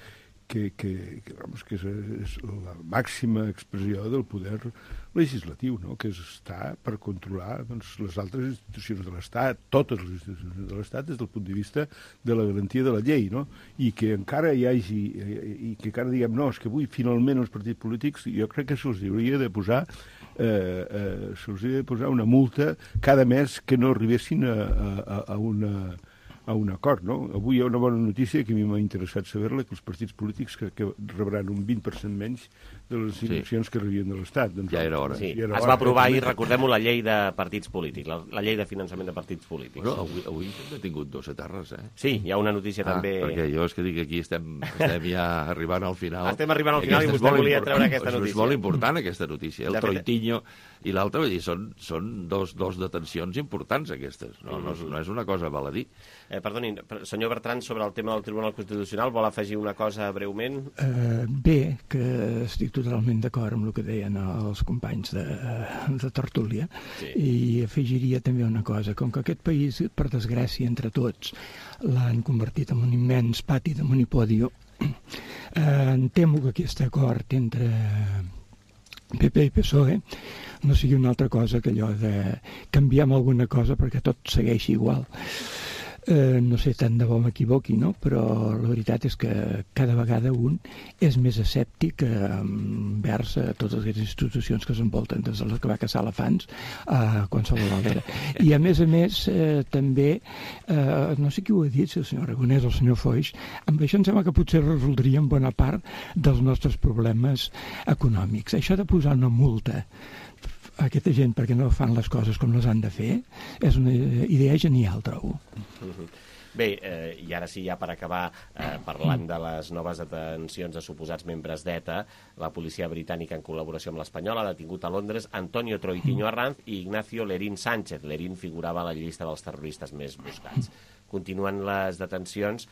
que, que, que, vamos, que és, és la màxima expressió del poder legislatiu, no? Que és estar per controlar doncs, les altres institucions de l'Estat, totes les institucions de l'Estat, des del punt de vista de la garantia de la llei, no? I que encara hi hagi, i que encara diguem, no, és que avui finalment els partits polítics, jo crec que se'ls hauria de posar eh, eh, se'ls hauria de posar una multa cada mes que no arribessin a, a, a una... a un acord, no? Avui hi ha una bona notícia que a mi m'ha interessat saber-la, que els partits polítics que, que rebran un vint per cent menys de les inversions sí. que rebien de l'Estat. Doncs, ja era hora. Sí. Ja era es va aprovar ahir, recordem-ho, la llei de partits polítics, la, la llei de finançament de partits polítics. Bueno, avui, avui hem tingut dos etarres, eh? Sí, hi ha una notícia ah, també... perquè jo és que dic que aquí estem, estem ja arribant al final. Estem arribant al final i vostè volia treure aquesta notícia. És molt important, aquesta notícia. El Troitinho i l'altre, vull dir, són, són dos, dos detencions importants, aquestes. No, no, és, no és una cosa baladí. Eh, perdoni, senyor Bertran, sobre el tema del Tribunal Constitucional, vol afegir una cosa breument? Uh, bé, que estic totalment d'acord amb el que deien els companys de, de tertúlia, sí. I afegiria també una cosa, com que aquest país, per desgràcia, entre tots, l'han convertit en un immens pati de monipodio, eh, em temo que aquest acord entre P P i P S O E no sigui una altra cosa que allò de canviar alguna cosa perquè tot segueixi igual. Eh, no sé, tant de bo m'equivoqui, no? Però la veritat és que cada vegada un és més escèptic envers a totes les institucions que s'envolten, des de les que va caçar elefants a qualsevol altra. I a més a més, eh, també, eh, no sé qui ho ha dit, si el senyor Aragonès o el senyor Foix, amb això em sembla que potser resoldríem bona part dels nostres problemes econòmics. Això de posar una multa a aquesta gent perquè no fan les coses com les han de fer és una idea genial, trobo. Bé, eh, i ara sí, ja per acabar, eh, parlant de les noves detencions de suposats membres d'ETA, la policia britànica, en col·laboració amb l'espanyola, ha detingut a Londres Antonio Troitinho Arranz i Ignacio Lerín Sánchez. Lerín figurava a la llista dels terroristes més buscats. continuen les detencions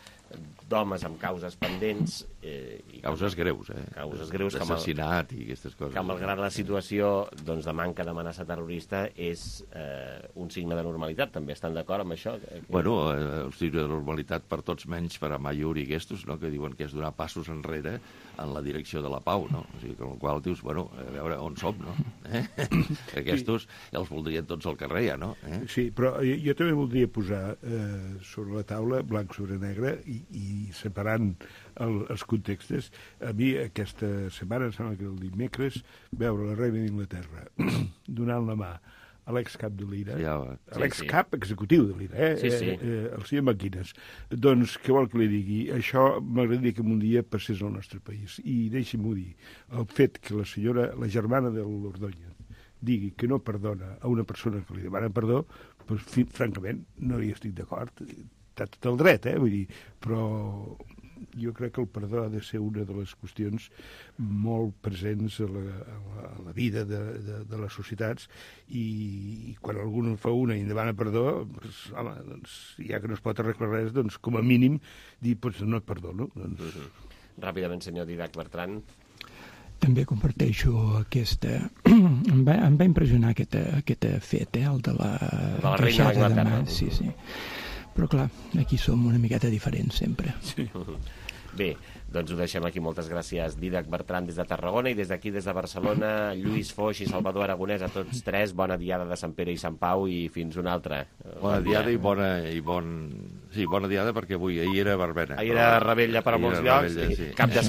d'homes amb causes pendents. Eh, I causes greus, eh? Causes greus. D'assassinat i aquestes coses. Que malgrat la situació doncs, de manca d'amenaça terrorista és eh, un signe de normalitat. També estan d'acord amb això? Que... Bueno, eh, un signe de normalitat per tots menys per a Mayur i Gestos, no? Que diuen que és donar passos enrere en la direcció de la pau, no? O sigui, amb el qual dius, bueno, a veure on som, no? Eh? Aquestos sí. Els voldrien tots al carrer, ja, no? Eh? Sí, però jo, jo també voldria posar eh, sobre la taula, blanc sobre negre, i, i separant el, els contextos. A mi aquesta setmana, em sembla que el dimecres, veure la reina d'Inglaterra donant la mà a l'excap de l'I R A, sí, ja, a l'excap sí, sí. executiu de l'I R A, eh? Sí, sí. Eh, eh, el senyor Maquines. Doncs, què vol que li digui? Això m'agradaria que un dia passés al nostre país. I deixi'm-ho dir, el fet que la senyora, la germana de l'Ordóñez, digui que no perdona a una persona que li demana perdó, doncs, francament, no hi estic d'acord. Té tot el dret, eh? Vull dir, però jo crec que el perdó ha de ser una de les qüestions molt presents a la, a la, a la vida de, de, de les societats, i, i quan algú en fa una i en demana perdó, doncs, home, doncs, ja que no es pot arreglar res, doncs, com a mínim, dir, doncs, no et perdono. Doncs... Mm-hmm. Ràpidament, senyor Didac Bertran. També comparteixo aquesta... em, va, em va impressionar aquest, aquest fet, eh, el de la... De la reina d'Anglaterra. Sí, sí. Però clar, aquí som una miqueta diferents sempre. Sí. Bé, doncs ho deixem aquí. Moltes gràcies, Didac Bertran, des de Tarragona, i des d'aquí, des de Barcelona, Lluís Foix i Salvador Aragonès, a tots tres. Bona diada de Sant Pere i Sant Pau, i fins una altra. Bona diada i bona... I bon... Sí, bona diada, perquè avui ahir era verbena. Ahir era rebella per a molts llocs. Rebella, sí. Cap de